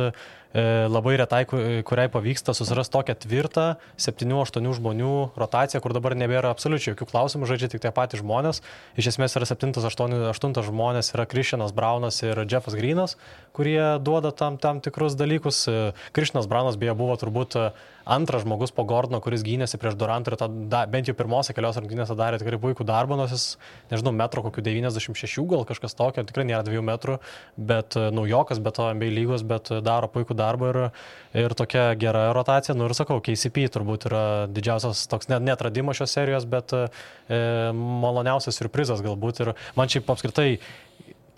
labai retai, kuriai pavyksta susirasti tokią tvirtą 7-8 žmonių rotaciją, kur dabar nebėra absoliučiai jokių klausimų, žaidžia tik tie patys žmonės. Iš esmės yra 7-8 žmonės, yra Christianas Braunas ir Jeffas Greenas, kurie duoda tam tikrus dalykus. Christianas Braunas beje buvo turbūt antras žmogus po Gordono, kuris gynėsi prieš Durantą ir bent jau pirmose kelios rungtynėse darė tikrai puikų darbą, nors jis, nežinau, metro kokių 96 gal kažkas tokio, tikrai nėra 2 metrų, bet naujokas, bet to NBA lygos, bet daro puikų darbą ir tokia gera rotacija. Ir sakau, KCP turbūt yra didžiausias toks neatradimas šios serijos, bet maloniausias siurprizas galbūt. Ir man šiaip apskritai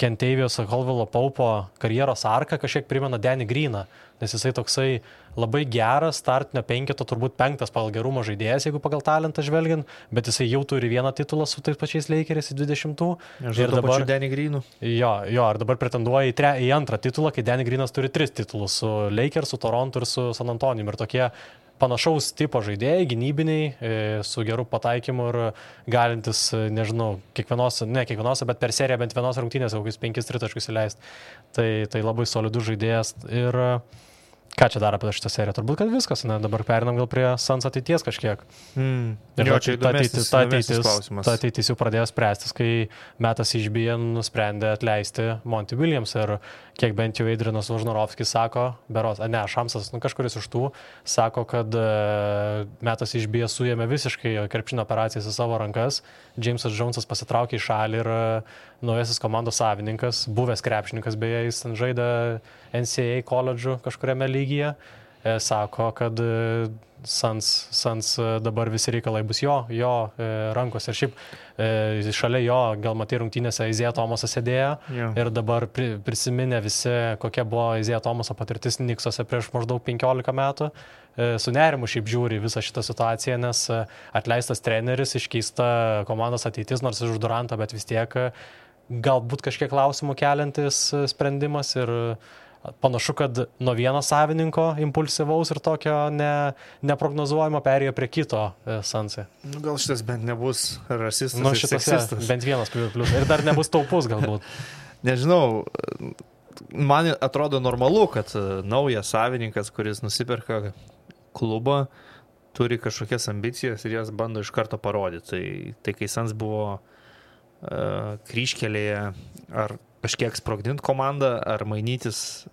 Kentavious Caldwell Paupo karjeros arka kažkiek primena Danny Greeną, nes jisai toksai labai geras startinio 5, turbūt 5 pagal gerumo žaidėjas, jeigu pagal talentą žvelgiant, bet jisai jau turi 1 titulą su tais pačiais Lakeriais į 20. Ir dabar Danny Greenu. Jo, ir dabar pretenduoja į 2 titulą, kai Danny Greenas turi 3 titulus su Lakers, su Toronto ir su San Antonijum. Ir tokie panašaus tipo žaidėjai, gynybiniai, su geru pataikymu ir galintis, nežinau, kiekvienose, bet per seriją bent vienos rungtynės kokius 5 tritaškus įleisti. Tai labai solidus žaidėjas. Ką čia daro apie šitą seriją? Turbūt, kad viskas, dabar perinam gal prie Suns ateities kažkiek. Ir Jo, čia įdomesnis klausimas. Ta ateitis jau pradėjo spręstis, kai metas išbiję nusprendė atleisti Monty Williams ir kiek bent jau Adrianas Vožnorovskis sako, Šamsas, kažkuris iš tų, sako, kad metas išbiję suėmė visiškai krepšinio operacijas į savo rankas, Jamesas Jonesas pasitraukė į šalį ir naujasis komandos savininkas, buvęs krepšininkas, beje, jis žaidė NCAA koledžų kažkuriame lygyje, sako, kad Suns dabar visi reikalai bus jo rankos. Ir šiaip šalia jo, gal matai rungtynėse, Isaiah Thomasas sėdėjo ir dabar prisiminė visi, kokia buvo Isaiah Thomaso patirtis Knicksuose prieš maždaug 15 metų. Su nerimu šiaip žiūri visą šitą situaciją, nes atleistas treneris, iškeista komandos ateitis, nors iš Durantą, bet vis tiek galbūt kažkiek klausimų keliantis sprendimas ir panašu, kad nuo vieno savininko impulsyvaus ir tokio neprognozuojamo perėjo prie kito Sunsai. Gal šitas bent nebus rasistas ir seksistas. Bent vienas plius. Ir dar nebus taupus galbūt. Nežinau, man atrodo normalu, kad naujas savininkas, kuris nusiperka klubą, turi kažkokias ambicijas ir jas bando iš karto parodyti. Tai kai Suns buvo kryžkelėje, ar kažkiek sprogdinti komandą, ar mainytis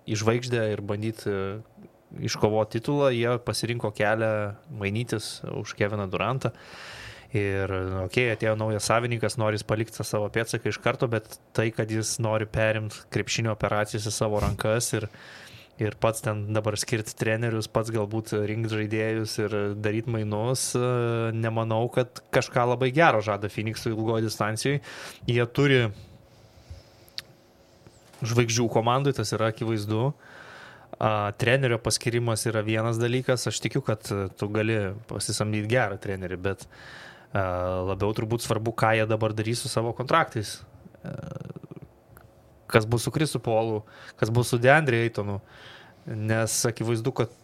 į žvaigždę ir bandyti iškovoti titulą, jie pasirinko kelią mainytis už Keviną Durantą. Ir, atėjo naujas savininkas, nori palikti savo pėdsaką iš karto, bet tai, kad jis nori perimti krepšinio operacijas į savo rankas ir pats ten dabar skirti trenerius, pats galbūt rinkti žaidėjus ir daryti mainus, nemanau, kad kažką labai gero žada Phoenix'ui ilgoje distancijoje. Jie turi žvaigždžių komandai, tas yra akivaizdu. Trenerio paskirimas yra vienas dalykas. Aš tikiu, kad tu gali pasisamdyti gerą trenerį, bet labiau turbūt svarbu, ką jie dabar darys su savo kontraktais. Kas bus su Chrisu Paulu, kas bus su DeAndre Aytonu. Nes akivaizdu, kad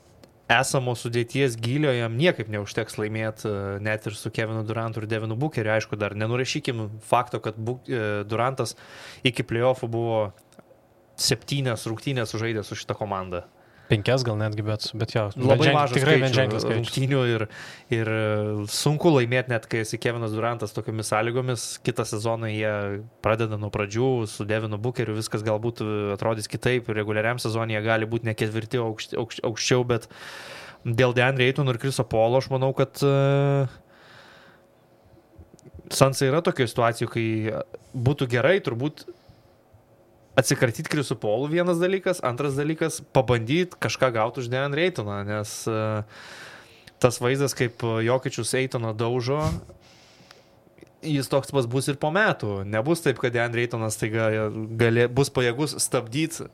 esamo sudėties gylio jam niekaip neužteks laimėti net ir su Kevinu Durantu ir Devinu Bookeriu. Aišku, dar nenurašykim fakto, kad Durantas iki playoffų buvo 7 rungtynės sužaidė su šitą komandą. 5 gal netgi, bet jo. Labai mažas tikrai skaičius rungtynių ir sunku laimėti net, kai esi Kevinas Durantas tokiomis sąlygomis. Kitą sezoną jie pradeda nuo pradžių su Devinu Bookeriu, viskas galbūt atrodys kitaip. Reguliariam sezonui jie gali būti ne ketvirti aukščiau, bet dėl DeAndre Aytono ir Chriso Paulo aš manau, kad Sunsai yra tokioje situacijoje, kai būtų gerai turbūt atsikratyti Chrisu Paulu vienas dalykas, antras dalykas pabandyti kažką gauti už DeAndre Aytoną, nes tas vaizdas, kaip Jokičius Aytoną daužo, jis toks pas bus ir po metų. Nebus taip, kad DeAndre Aytonas bus pajėgus stabdyti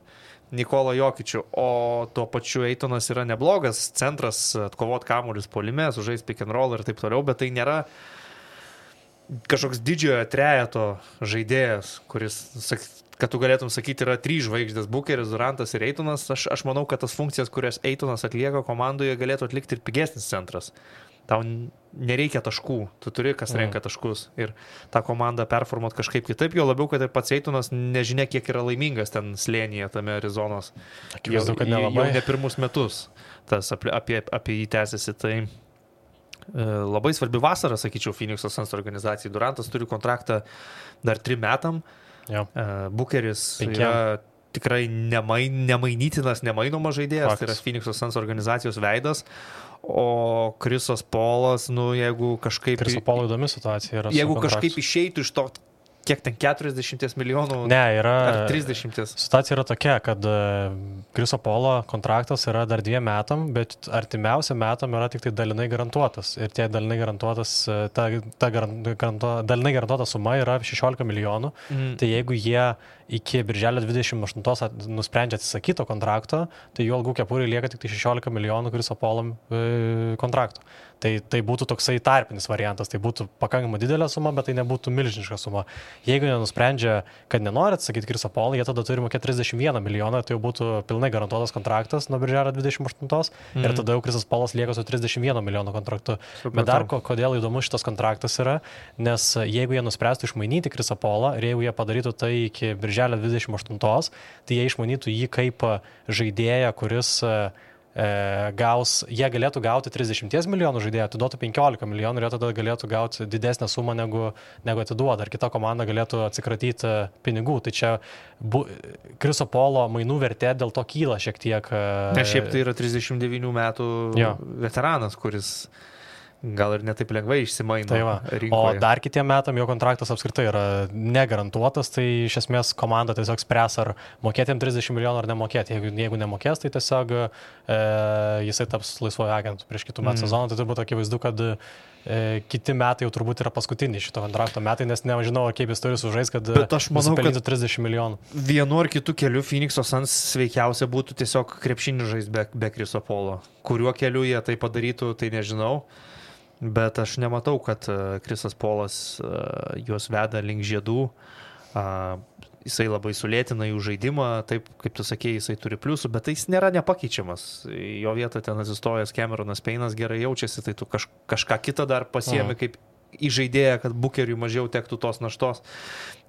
Nikolą Jokičių, o tuo pačiu Aytonas yra neblogas centras, atkovot kamuolius puolime, sužais pick and roll ir taip toliau, bet tai nėra kažkoks didžiojo trejeto žaidėjas, kuris, kad tu galėtum sakyti, yra 3 žvaigždės - Bookeris, Durantas ir Aytonas. Aš manau, kad tas funkcijas, kurias Aytonas atlieka komandoje, galėtų atlikti ir pigesnis centras. Tau nereikia taškų, tu turi, kas renka taškus ir tą komandą performuot kažkaip kitaip, jo labiau, kad ir pats Aytonas nežinia, kiek yra laimingas ten slėnyje, tame Arizonos. Akivaizdu, kad nelabai. Jau ne pirmus metus tas apie jį tęsiasi. Tai labai svarbi vasara, sakyčiau, Phoenix'o Suns organizacijai. Durantas turi kontraktą dar 3 metam. Bookeris yra tikrai nemainytinas, nemainomas žaidėjas, tai yra Phoenix'o Suns organizacijos veidas, o Chrisas Paulas, jeigu kažkaip... Chriso Paulo įdomi situacija yra. Jeigu kažkaip išeitų iš to, kiek ten 40 milijonų, ar 30. Situacija yra tokia, kad Chriso Paulo kontraktas yra dar 2 metam, bet artimiausiam metam yra tik tai dalinai garantuotas. Ir tie dalinai garantuotas, dalinai garantuota suma yra 16 milijonų. Tai jeigu jie iki birželio 28 nusprendžia atsisakyti kontrakto, tai jų algų kepuriai lieka tik tai 16 milijonų Chriso Paulo kontrakto. Tai būtų toksai tarpinis variantas, tai būtų pakankamai didelė suma, bet tai nebūtų milžiniška suma. Jeigu nenusprendžia, kad nenori atsakyti Chriso Paulo, jie tada turi mokėti 31 milijoną, tai jau būtų pilnai garantuotas kontraktas nuo birželio 28 ir tada jau Chrisas Paulas lieka su 31 milijono kontraktu. Bet dar kodėl įdomus šitas kontraktas yra, nes jeigu jie nuspręstų išmainyti Chrisą Paulą ir jeigu jie padarytų tai iki birželio birželio 28, tai jie išmanytų jį kaip žaidėją, kuris jie galėtų gauti 30 milijonų žaidėjų, atiduotų 15 milijonų ir jie tada galėtų gauti didesnę sumą negu atiduoda. Ar kita komanda galėtų atsikratyti pinigų. Tai čia Chriso Polo mainų vertė dėl to kyla šiek tiek. Nes šiaip tai yra 39 metų veteranas, kuris gal ir netaip lengvai išsimaino rinkoje. O dar kitiem metam jo kontraktas apskritai yra negarantuotas, tai iš esmės komanda tiesiog spręs, ar mokėti jam 30 milijonų ar nemokėti. Jeigu nemokės, tai tiesiog jisai taps laisvojo agentų prieš kitų metų sezoną. Tai turbūt akivaizdu, kad kiti metai jau turbūt yra paskutiniai šito kontrakto metai, nes nežinau, kaip jis turi sužais, kad nusipelnytų 30 milijonų. Vienu ar kitu keliu Phoenix'o Suns sveikiausia būtų tiesiog krepšinį žais be Chriso Polo. Kuriuo keliu jie tai padarytų, tai nežinau. Bet aš nematau, kad Chrisas Polas juos veda link žiedų. Jisai labai sulėtina jų žaidimą, taip kaip tu sakėjai, jisai turi pliusų, bet jis nėra nepakeičiamas. Jo vietą ten atsistojęs Cameronas Payne'as gerai jaučiasi, tai tu kažką kitą dar pasiemi kaip įžaidėją, kad Bookeriui mažiau tektų tos naštos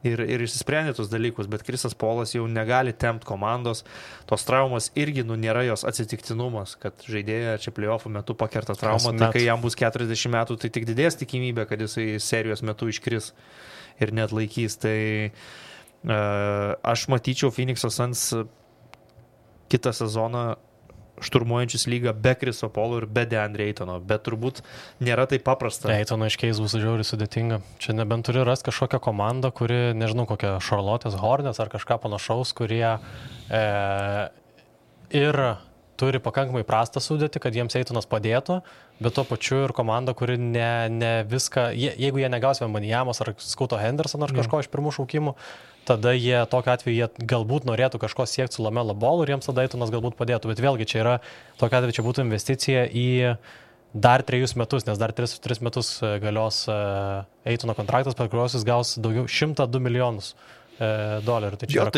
ir išsisprendė tos dalykus, bet Chrisas Polas jau negali tempt komandos. Tos traumas irgi nėra jos atsitiktinumas, kad žaidėja čia playoffų metu pakerta traumą, tai kai jam bus 40 metų, tai tik didės tikimybė, kad jisai serijos metu iškris ir net laikys. Tai aš matyčiau Phoenix'o Suns kitą sezoną šturmuojančius lygą be Chriso Polo ir be DeAndre Aytono, bet turbūt nėra taip paprasta. Aytono iškeis bus žiauriai sudėtinga. Čia nebent turi rasti kažkokią komandą, kuri, nežinau, kokią Charlotte's Hornets ar kažką panašaus, kurie ir turi pakankamai prastą sudėtį, kad jiems Aytonas padėtų, bet tuo pačiu ir komanda, kuri ne viską, jeigu jie negaus Wembanyamos ar Scoot'o Hendersono ar kažko iš pirmų šaukimų, tada tokiu atveju jie galbūt norėtų kažko siekti su LaMelo Ballu ir jiems tada Aytonas galbūt padėtų. Bet vėlgi čia yra, tokiu atveju čia būtų investicija į dar 3 metus, nes dar 3 metus galios Aytono kontraktas, per kuriuos jis gaus daugiau 102 milijonus dolerių. Tai čia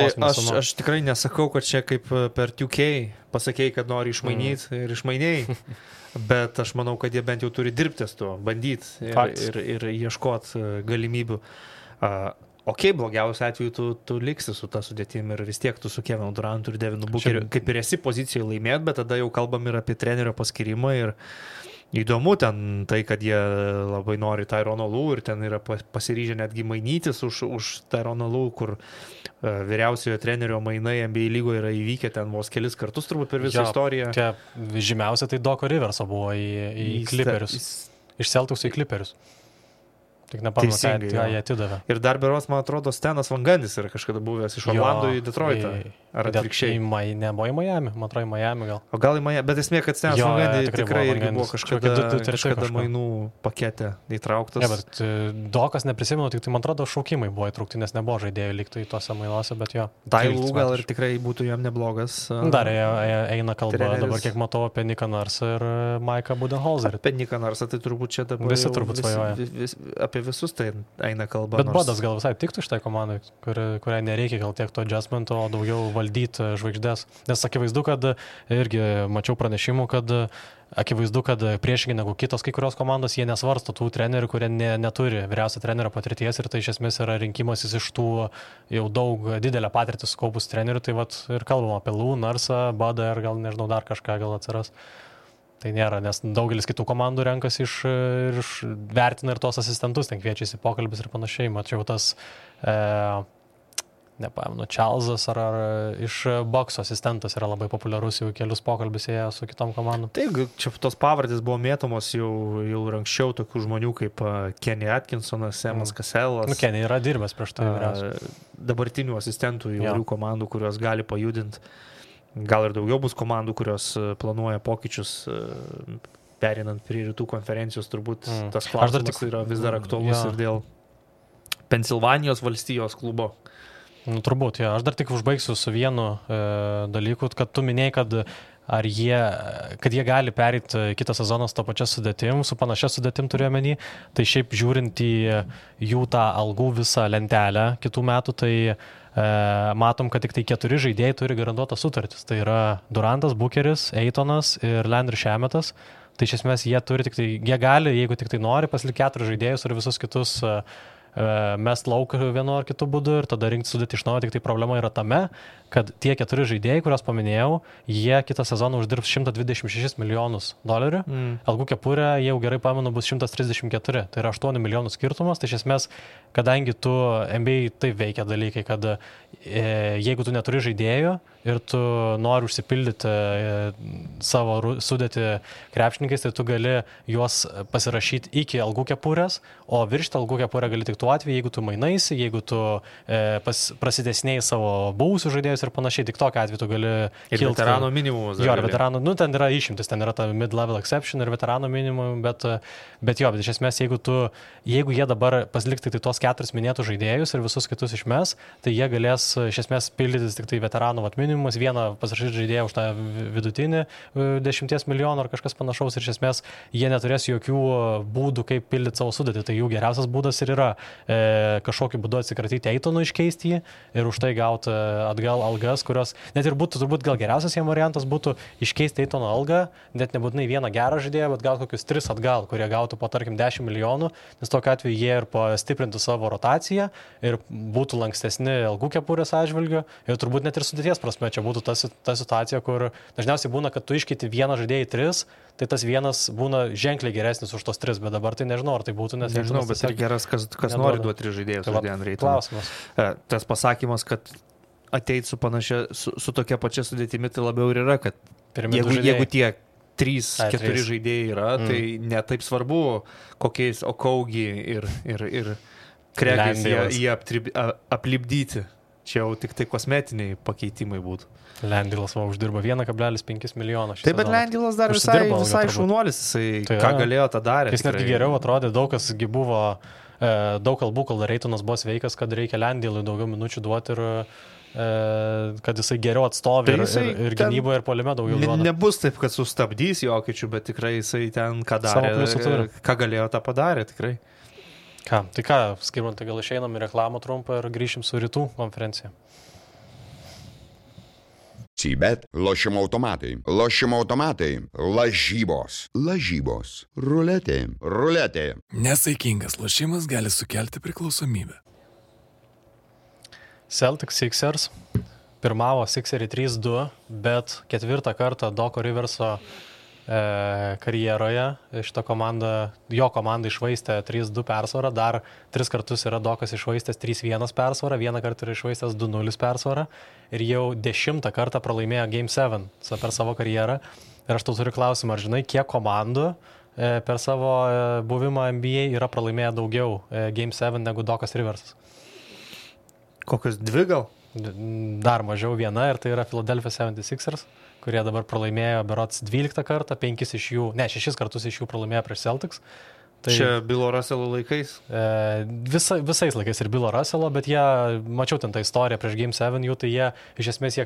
aš tikrai nesakau, kad čia kaip per 2K pasakėjai, kad nori išmainyti ir išmainėjai, bet aš manau, kad jie bent jau turi dirbtis tuo, bandyti ir ieškoti galimybių. Blogiausiu atveju tu liksi su ta sudėtim ir vis tiek tu su Kevinu Durantu ir Devinu Bookeriu kaip ir esi pozicijoje laimėti, bet tada jau kalbam ir apie trenerio paskirimą ir įdomu ten tai, kad jie labai nori Tyronno Lue ir ten yra pasiryžę netgi mainytis už Tyronno Lue, kur vyriausiojo trenerio mainai NBA lygoje yra įvykę ten vos kelis kartus turbūt per visą istoriją. Žymiausia tai Doco Riverso buvo į Clipperius. Iš Celticsų į Clipperius. Tik nepamenu, ką jie atidavė. Ir dar berods, man atrodo, Stenas Van Gundy yra kažkada buvęs iš Orlando į Detroitą. Ar atvirkščiai? Nebuvo į Miami, man atrodo į Miami gal. O gal į Miami, bet esmė, kad Stenas Van Gundy tikrai irgi buvo kažkada mainų pakete įtrauktas. Ne, bet Dokas neprisimenu, tik tai man atrodo šaukimai buvo įtraukti, nes nebuvo žaidėjų liktų į tose mainuose, bet jo. Dailų gal ir tikrai būtų jam neblogas. Dar eina kalba treneris. Dabar kiek matau apie Niką Narsą ir Mike'ą Budenholzerį. Apie Niką Narsą tai turbūt čia dabar visi turbūt svajoja. Apie visus tai eina kalba. Bet Bodas gal visai tiktų šitai komandai, kuriai nereikia gal tiek to adjustmento, o daugiau valdyti žvaigždės. Nes akivaizdu, kad irgi mačiau pranešimų, kad akivaizdu, kad priešingai negu kitos kai kurios komandos, jie nesvarsto tų trenerių, kurie neturi vyriausio trenerio patirties ir tai iš esmės yra rinkimasis iš tų jau daug didelę patirtį sukaupus trenerių. Tai vat ir kalbam apie Lue, Narsą, Bodą ir gal nežinau dar kažką gal atsiras. Tai nėra, nes daugelis kitų komandų renkasi vertina ir tos asistentus, ten kviečiasi pokalbis ir panašiai. Mačiau tas, nepamenu, Čarlzas ar iš bokso asistentas yra labai populiarus, jau kelius pokalbis ėjo su kitom komandom. Taip, čia tos pavardės buvo mėtomos jau anksčiau tokių žmonių kaip Kenny Atkinsonas, Semas Casellas. Kenny yra dirbęs prieš tai vyriausiai. Dabartinių asistentų įvairių komandų, kurios gali pajudinti. Gal ir daugiau bus komandų, kurios planuoja pokyčius, perinant prie rytų konferencijos, turbūt tas klausimas yra vis dar aktualus ir dėl Pensilvanijos valstijos klubo. Turbūt, aš dar tik užbaigsiu su vienu dalyku, kad tu minėjai, kad jie gali pereiti kitą sezoną su to pačia sudėtim, su panašia sudėtim turiu omeny, tai šiaip žiūrint į jų tą algų visą lentelę kitų metų, tai matom, kad tik tai 4 žaidėjai turi garantuotas sutartis. Tai yra Durantas, Bookeris, Aytonas ir Landry Shametas. Tai iš esmės jie gali, jeigu tik tai nori, pasilikti 4 žaidėjus ir visus kitus mest lauk vienu ar kitu būdu ir tada rinkti sudėti iš naujo, tik tai problema yra tame, kad tie 4 žaidėjai, kuriuos paminėjau, jie kitą sezoną uždirbs $126 milijonus. Algų kepurė, jau gerai pamenu, bus 134, tai yra 8 milijonų skirtumas, tai iš esmės, kadangi tu NBA taip veikia dalykai, kad jeigu tu neturi žaidėjų ir tu nori užsipildyti savo sudėti krepšininkais, tai tu gali juos pasirašyti iki algų kepurės, o viršti algų kepurę gali tik tuo atveju, jeigu tu mainaisi, jeigu tu prasidesnėjai savo buvusių žaidėjus ir panašiai, tik tokiu atveju tu gali kilti. Ir veterano minimumus. Jo, ir veterano, ten yra išimtis, ten yra ta mid-level exception ir veterano minimum, bet iš esmės, jeigu jie dabar pasiliks tik tai tos 4 minėtų žaidėjus ir visus kitus išmes, tai jie galės iš esmės pildytis tik tai veterano minimumus, vieną pasirašyti žaidėją už tą vidutinį 10 milijonų ar kažkas panašaus ir iš esmės jie neturės jokių būdų, kaip pildyti savo sudėtį. Tai jų geriausias būdas ir yra kažkokiu būdu atsikratyti Eitonų, iškeisti jį ir už tai gauti atgal algas, kurios net ir būtų turbūt gal geriausias jiem variantas būtų iškeisti Eitono algą, net nebūtinai vieną gerą žaidėją, bet gauti kokius 3 atgal, kurie gautų po tarkim 10 milijonų, nes tokiu atveju jie ir pastiprintų savo rotaciją ir būtų lankstesni algų kepurės atžvilgiu ir turbūt net ir sudėties prasme čia būtų ta situacija, kur dažniausiai būna, kad tu iškeiti vieną žaidėją į 3, tai tas vienas būna ženkliai geresnis už tos 3, bet dabar tai nežinau, ar tai būtų, nes nežinau, bet tai geras, kas nori duoti 3 žaidėjus žaidėjant reitingą. Klausimas. Tas pasakymas, kad ateit su tokia pačia sudėtimi, tai labiau ir yra, kad jeigu tie 3-4 žaidėjai yra, tai netaip svarbu, kokiais Okaugi ir Kregiais jie aplipdyti. Čia jau tik tai kosmetiniai pakeitimai būtų. Lendilas uždirba 1,5 milijono. Taip, bet Lendilas dar visai šaunuolis, jisai ką galėjo, tą darė. Jis netgi geriau atrodė, daug kas buvo, daug kalbų, kol Reitonas buvo sveikas, kad reikia Lendilui daugiau minučių duoti ir kad jisai geriau atstovi ir gynyboje ir puolime daugiau duoda. Nebus taip, kad sustabdys Jokičių, bet tikrai jisai ten ką darė, ką galėjo, tą padarė tikrai. Tai ką, Skirmantai, gal išeinam į reklamą trumpą ir grįšim su rytų konferencija. Cibet, lošimo automatai, lažybos, ruletė. Nesaikingas lošimas gali sukelti priklausomybę. Celtics Sixers pirmavo Sixeriai 3-2, bet 4 kartą Doco Riverso karjeroje jo komanda išvaistė 3-2 persvarą, dar 3 kartus yra Dokas išvaistęs 3-1 persvarą, 1 kartą yra išvaistęs 2-0 persvarą ir jau 10 kartą pralaimėjo Game 7 per savo karjerą. Ir aš tau turiu klausimą, ar žinai, kiek komandų per savo buvimą NBA yra pralaimėję daugiau Game 7 negu Dokas Riversas? Kokios 2 gal? Dar mažiau viena ir tai yra Philadelphia 76ers, kurie dabar pralaimėjo berods 12 kartą, 6 kartus iš jų pralaimėjo prieš Celtics. Tai čia Bilo Russelo laikais? Visais laikais ir Bilo Russelo, bet jie, mačiau ten tą istoriją prieš Game 7 jų, tai jie iš esmės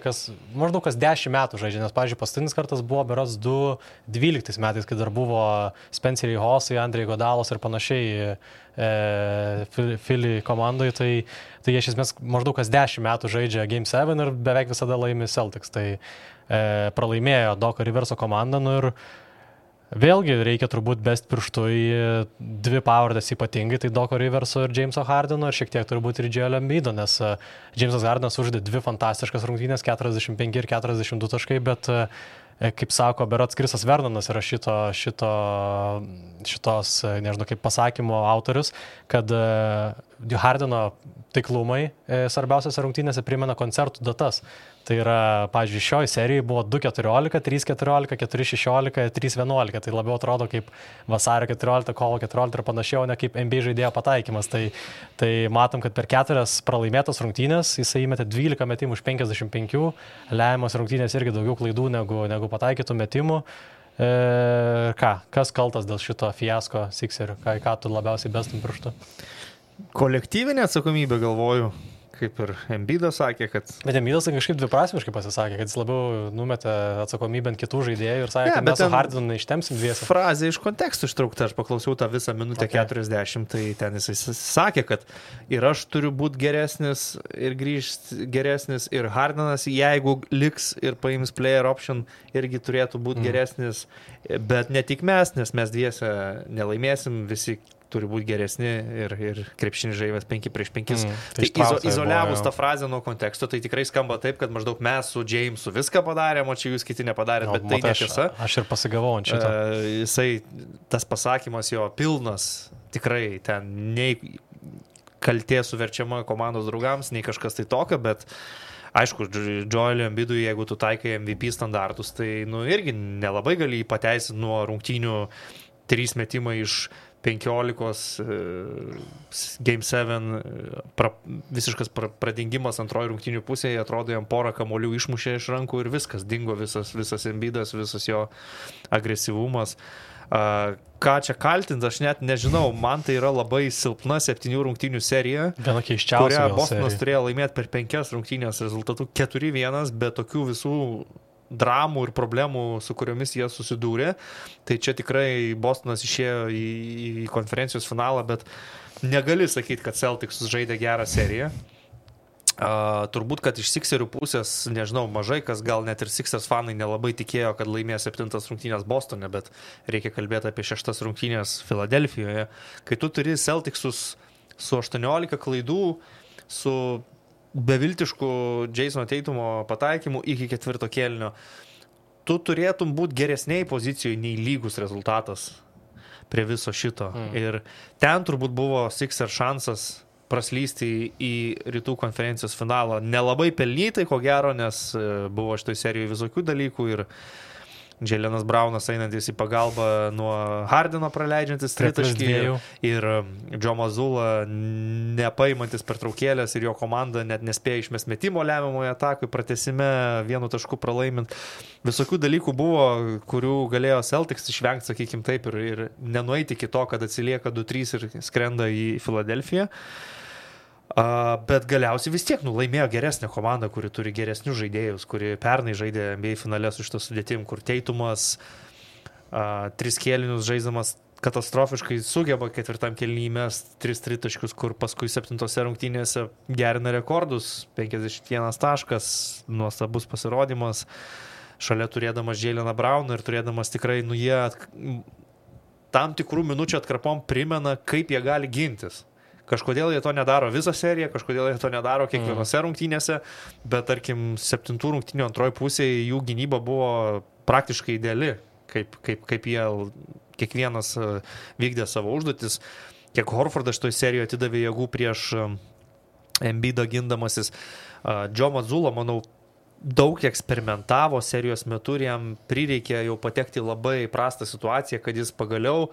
maždaug kas 10 metų žaidžia, nes, pavyzdžiui, paskutinis kartas buvo berods 2012 metais, kai dar buvo Spencerį Hosai, Andrei Godalos ir panašiai Philly komandai, tai jie iš esmės maždaug kas 10 metų žaidžia Game 7 ir beveik visada laimi Celtics. Tai pralaimėjo Doco Riverso komandą, ir vėlgi reikia turbūt best pirštų į 2 pavardes ypatingai, tai Doco Riverso ir Jameso Hardeno ir šiek tiek turbūt ir Joel Embiido, nes Jamesas Hardenas uždė 2 fantastiškas rungtynės, 45 ir 42 taškai, bet kaip sako, berods Krisas Vernonas yra šitos, nežinau, kaip pasakymo autorius, kad Hardeno taiklumai svarbiausiose rungtynėse primena koncertų datas. Tai yra, pavyzdžiui, šioje serijoje buvo 2-14, 3-14, 4-16, 3-11. Tai labiau atrodo kaip vasario 14, kovo 14 ir panašiau, ne kaip NBA žaidėjo pataikymas. Tai matom, kad per 4 pralaimėtas rungtynės jisai įmetė 12 metimų iš 55, lemiamos rungtynės irgi daugiau klaidų negu pataikytų metimų. Kas kaltas dėl šito fiasko Sixerių? Ką tu labiausiai bestum pirštu? Kolektyvinė atsakomybė, galvoju. Kaip ir Embiidas sakė, kad... Bet Embiidas kažkaip dviprasmiškai pasisakė, kad jis labiau numetė atsakomybę ant kitų žaidėjų ir sakė, kad mes su Hardenu neištemsim dviese. Frazė iš kontekstų ištraukta, aš paklausiau tą visą minutę 40, tai ten jis sakė, kad ir aš turiu būti geresnis ir grįžti geresnis ir Hardenas, jeigu liks ir paims player option, irgi turėtų būti geresnis, bet ne tik mes, nes mes dviese nelaimėsim, visi turi būti geresni ir krepšinį žaidžias 5 prieš 5. Tai Izoliavus tą frazę nuo konteksto, tai tikrai skamba taip, kad maždaug mes su Jamesu viską padarėm, o čia jūs kiti nepadarėt, bet tai netiesa. Aš ir pasigavau ant šito. Jisai, tas pasakymas jo pilnas, tikrai ten nei kaltė suverčiama komandos draugams, nei kažkas tai tokio, bet aišku, Joelui Embidui, jeigu tu taikai MVP standartus, tai irgi nelabai gali jį pateisinti nuo rungtynių 3 metimai iš 15, Game 7, visiškas pradingimas antroji rungtynių pusėje, atrodo, jam porą kamuolių išmušė iš rankų ir viskas, dingo visas Embidas, visas jo agresyvumas. Ką čia kaltinti, aš net nežinau, man tai yra labai silpna 7 rungtynių serija, kurią Bostonas turėjo laimėti per 5 rungtynės rezultatų 4-1, be tokių visų dramų ir problemų, su kuriomis jie susidūrė. Tai čia tikrai Bostonas išėjo į konferencijos finalą, bet negali sakyti, kad Celtics žaidė gerą seriją. Turbūt, kad iš Sixerių pusės, nežinau, mažai kas, gal net ir Sixers fanai nelabai tikėjo, kad laimės 7 rungtynės Bostone, bet reikia kalbėti apie 6 rungtynės Filadelfijoje. Kai tu turi Celticsus su 18 klaidų, su beviltišku Jasono Tatumo pataikymu iki 4 kėlinio, tu turėtum būti geresniai pozicijoje nei lygus rezultatas prie viso šito. Ir ten turbūt buvo Sixers šansas praslysti į rytų konferencijos finalą. Nelabai pelnytai, ko gero, nes buvo šitoj serijoje visokių dalykų ir Jaylenas Brownas einantis į pagalbą nuo Hardeno praleidžiantis tritaškį ir Joe Mazzulla nepaimantis pertraukėlės ir jo komanda net nespėjo išmest metimo lemiamoje atakoje, pratęsime 1 tašku pralaimint. Visokių dalykų buvo, kurių galėjo Celtics išvengti, sakykim taip, ir nenueiti iki to, kad atsilieka 2-3 ir skrenda į Filadelfiją. Bet galiausiai vis tiek laimėjo geresnė komanda, kuri turi geresnius žaidėjus, kuri pernai žaidė NBA finale su šitą sudėtim, kur Tatumas 3 kėlinius žaisdamas katastrofiškai sugeba 4 kėlinį įmest 3 tritaškius, kur paskui 7 rungtynėse gerina rekordus, 51 taškas, nuostabus pasirodymas, šalia turėdamas Jayleną Browną ir turėdamas tikrai, jie tam tikrų minučių atkarpom primena, kaip jie gali gintis. Kažkodėl jie to nedaro visą seriją, kažkodėl jie to nedaro kiekvienose rungtynėse, bet tarkim 7 rungtynių antroji pusėje jų gynyba buvo praktiškai ideali, kaip jie kiekvienas vykdė savo užduotis. Kiek Horfordas šitoj serijoje atidavė jėgų prieš Embidą gindamasis. Joe Mazzulla, manau, daug eksperimentavo serijos metu ir jam prireikė jau patekti labai prastą situaciją, kad jis pagaliau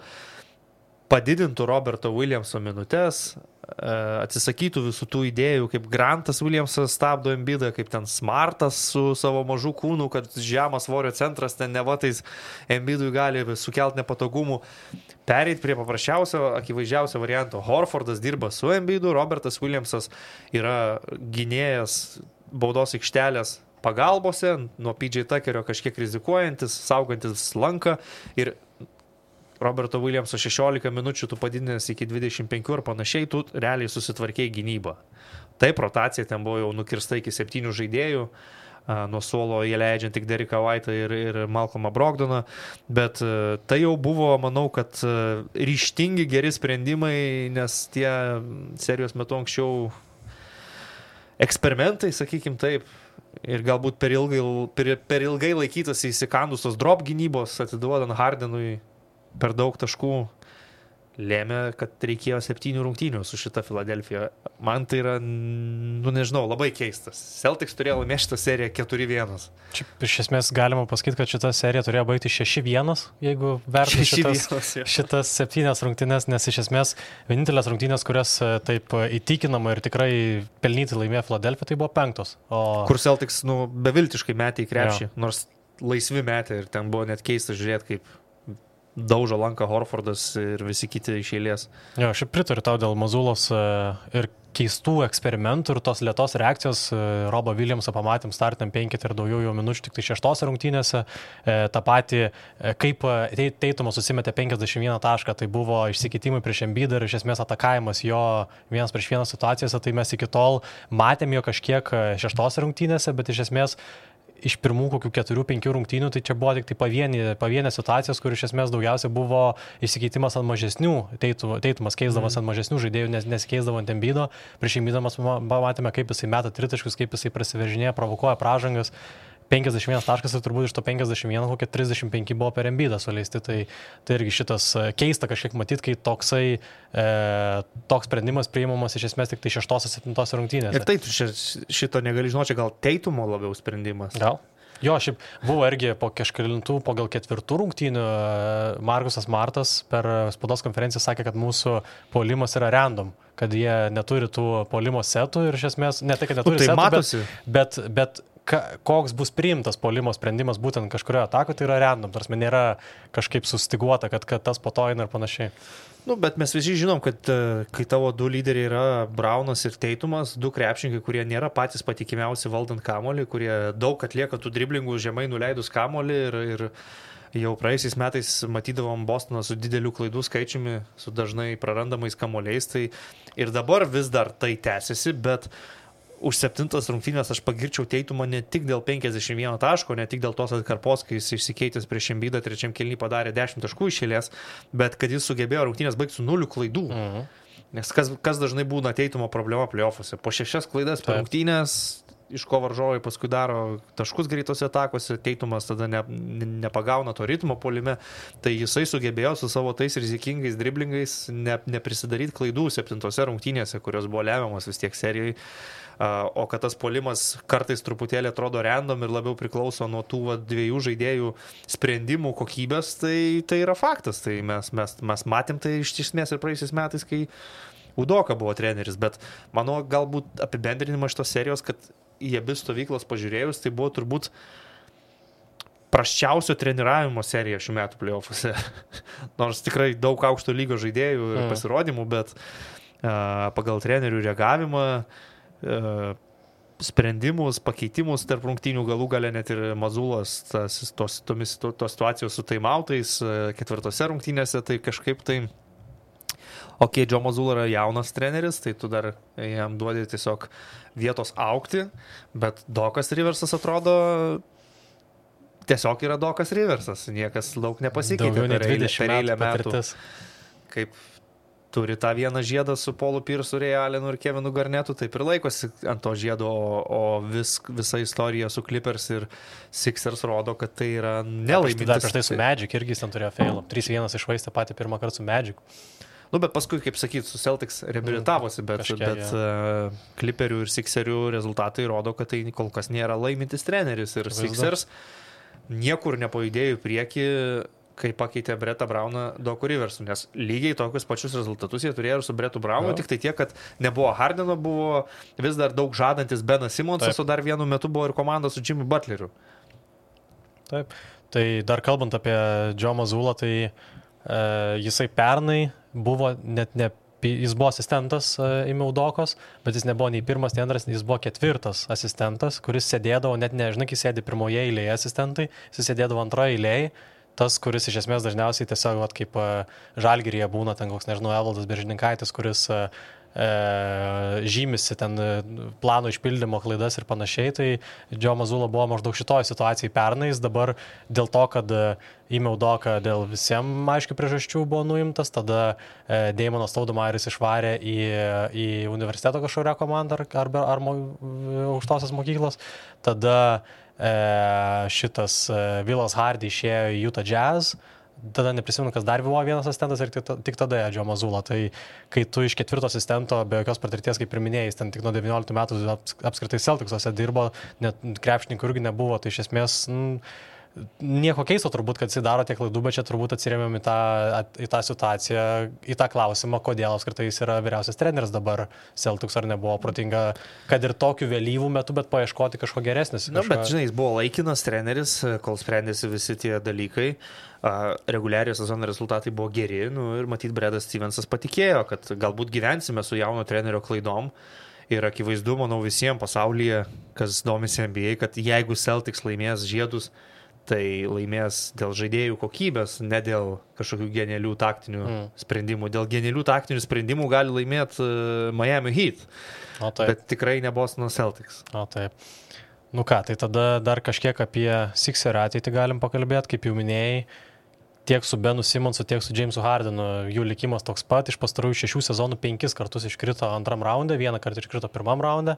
padidintų Roberto Williamso minutes, atsisakytų visų tų idėjų, kaip Grantas Williamsas stabdo Embidą, kaip ten Smartas su savo mažu kūnu, kad žemas svorio centras ten nevatais Embidui gali sukelti nepatogumų. Pereit prie paprasčiausio, akivaizdžiausio varianto. Horfordas dirba su Embidu, Robertas Williamsas yra gynėjas baudos aikštelės pagalbose, nuo PJ Tuckerio kažkiek rizikuojantis, saugantis lanką ir Roberto Williamso 16 minučių tu padidinęs iki 25 ir panašiai, tu realiai susitvarkėjai gynybą. Taip, rotacija ten buvo jau nukirsta iki 7 žaidėjų, nuo suolo jie leidžiant tik Deriką White'ą ir Malcolmą Brogdoną, bet tai jau buvo, manau, kad ryžtingi geri sprendimai, nes tie serijos metu anksčiau eksperimentai, sakykim taip, ir galbūt per ilgai laikytas įsikandusios drop gynybos, atiduodant Hardenui per daug taškų, lėmė, kad reikėjo 7 rungtynių su šita Filadelfija. Man tai yra, nežinau, labai keistas. Celtics turėjo laimėti šitą seriją 4-1. Čia iš esmės galima pasakyti, kad šita serija turėjo baigti 6-1, jeigu vertinti šitas 7 rungtynės, nes iš esmės vienintelės rungtynės, kurias taip įtikinama ir tikrai pelnyti laimėjo Filadelfija, tai buvo 5. Kur Celtics beviltiškai metė į krepšį, nors laisvi metė ir ten buvo net keista žiūrėti, kaip daužo lanką Horfordas ir visi kiti iš eilės. Jo, aš pritariu tau dėl Mazzulos ir keistų eksperimentų ir tos lėtos reakcijos. Robo Williamsą pamatėm startėm 5 ir daugiau minučių tik tai 6 rungtynėse. Ta pati, kaip Tatumas susimetė 51 tašką, tai buvo išsikeitimai prieš Embidą ir iš esmės atakavimas jo 1-1 situacijose, tai mes iki tol matėm jo kažkiek 6 rungtynėse, bet iš esmės iš pirmų kokių 4-5 rungtynių, tai čia buvo tik tai pavienė situacijos, kur iš esmės daugiausia buvo išsikeitimas ant mažesnių, Teitumas keisdamas ant mažesnių žaidėjų, nesikeisdavo ant Embiido, prieš Embiidą matėme, kaip jisai meta tritaškius, kaip jisai prasiveržinėja, provokuoja pražangas. 51 taškas ir turbūt iš to 51 kokie 35 buvo per Embiidą suleisti, tai irgi šitas keista kažkiek matyti, kai toks sprendimas priimamas iš esmės tik tai 6-7 rungtynėse. Ir tai šito negali žinoti, gal Teitumo labiau sprendimas. Gal? Jo, šiaip buvo irgi po kažkelintų, po gal 4 rungtynių Markusas Martas per spaudos konferenciją sakė, kad mūsų puolimas yra random, kad jie neturi tų puolimo setų ir iš esmės, ne tai, kad neturi tai setų, matosi. bet koks bus priimtas puolimo sprendimas būtent kažkurioje atakoje, tai yra random, tarsi nėra kažkaip sustiguota, kad tas po to eina ir panašiai. Bet mes visi žinom, kad kai tavo du lyderiai yra Braunas ir Teitumas, du krepšininkai, kurie nėra patys patikimiausi valdant kamuolį, kurie daug atlieka tų driblingų žemai nuleidus kamuolį ir jau praėjusiais metais matydavom Bostoną su dideliu klaidų skaičiumi, su dažnai prarandamais kamuoliais, tai ir dabar vis dar tai tęsiasi, bet už 7 rungtynės aš pagirčiau Teitumą ne tik dėl 51 taško, ne tik dėl tos atkarpos, kai jis išsikeitęs prieš Embiidą 3 kėlinį padarė 10 taškų iš eilės, bet kad jis sugebėjo rungtynės baigti su 0 klaidų. Nes kas dažnai būna Teitumo problema play-offuose. Po 6 klaidas per rungtynės, iš ko varžovai paskui daro taškus greitose atakose, Teitumas tada nepagauna to ritmo puolime, tai jisai sugebėjo su savo tais rizikingais driblingais neprisidaryti klaidų 7 rungtynėse, kurios buvo lemiamas vis tiek serijai. O kad tas puolimas kartais truputėlį atrodo random ir labiau priklauso nuo tų dviejų žaidėjų sprendimų kokybės, tai yra faktas. Tai mes matėm tai iš esmės ir praėjusiais metais, kai Udoka buvo treneris, bet mano galbūt apibendrinimas šitos serijos, kad į abi stovyklas pažiūrėjus, tai buvo turbūt prasčiausio treniravimo serija šių metų play-offuose. Nors tikrai daug aukšto lygio žaidėjų ir pasirodymų, bet pagal trenerių reagavimą, sprendimus, pakeitimus tarp rungtynių, galų gale net ir Mazulas tos situacijos su taimautais 4 rungtynėse, tai kažkaip tai Joe Mazzulla yra jaunas treneris, tai tu dar jam duodi tiesiog vietos augti, bet Dokas Riversas atrodo tiesiog yra Dokas Riversas, niekas daug nepasikeitė per eilę metų. Kaip turi tą vieną žiedą su Paulu Piersu, Ray Allenu ir Kevinu Garnetu, taip ir laikosi ant to žiedo, o visa istorija su Clippers ir Sixers rodo, kad tai yra nelaimintis. Dar prieš tai su Magic irgi jis ten turėjo failą. 3-1 išvaistė patį pirmą kartą su Magic. Bet paskui, kaip sakyt, su Celtics reabilitavosi, bet Clipperių ir Sixerių rezultatai rodo, kad tai kol kas nėra laimintis treneris ir Sixers niekur nepajudėjo į priekį, kai pakeitė Brettą Brauną Doku Riversu, nes lygiai tokius pačius rezultatus jie turėjo ir su Brettu Braunu, tik tai tiek, kad nebuvo Hardeno, buvo vis dar daug žadantis Benas Simonsas, o dar vienu metu buvo ir komanda su Jimmy Butleriu. Taip, tai dar kalbant apie Joe Mazzullą, tai jisai pernai buvo jis buvo asistentas Ime Udokos, bet jis nebuvo nei pirmas, nei antras, jis buvo 4 asistentas, kuris sėdėdavo, net nežinai, kai sėdi pirmoje eilėje asistentai, jis sėdėdavo antroje eilėje, tas, kuris iš esmės dažniausiai tiesiog kaip Žalgiryje būna, ten koks, nežinau, Evaldas Beržininkaitis, kuris žymisi ten plano išpildymo klaidas ir panašiai, tai Joe Mazzulla buvo maždaug šitoje situacijai pernais, dabar dėl to, kad Ime Udoka dėl visiems aiškių priežasčių buvo nuimtas, tada Daimonas Stoudamayeris išvarė į universiteto kažkokią komandą ar aukštosios mokyklos, tada šitas Vilas Hardy išėjo į Utah Jazz, tada neprisimenu, kas dar buvo vienas asistentas ir tik tada Joe Mazzulla. Tai kai tu iš 4 asistento be jokios patirties, kaip ir minėjai, ten tik nuo 19 metų apskritai Celticsuose dirbo, net krepšininkų irgi nebuvo, tai iš esmės nieko keisto turbūt, kad jis daro tiek klaidų, bet čia turbūt atsirėmėm į tą situaciją, į tą klausimą, kodėl apskritai jis yra vyriausias treneris dabar Celtics, ar nebuvo protinga, kad ir tokiu vėlyvų metu, bet paieškoti kažko geresnis. Bet žinai, jis buvo laikinas treneris, kol sprendėsi visi tie dalykai. Reguliarios sezono rezultatai buvo geri, ir matyt, Bredas Stevensas patikėjo, kad galbūt gyvensime su jauno trenerio klaidom. Ir akivaizdu, manau, visiems pasaulyje, kas domisi NBA, kad jeigu Celtics laimės žiedus, tai laimės dėl žaidėjų kokybės, ne dėl kažkokių genialių taktinių sprendimų. Dėl genialių taktinių sprendimų gali laimėti Miami Heat, bet tikrai ne Bostono Celtics. Taip. Nu ką, tai tada dar kažkiek apie Sixer'ą ateitį galim pakalbėti, kaip jau minėjai, tiek su Benu Simonsu, tiek su Jamesu Hardenu, jų likimas toks pat, iš pastarųjų 6 sezonų 5 kartus iškrito antram raunde, 1 kartą iškrito pirmam raunde,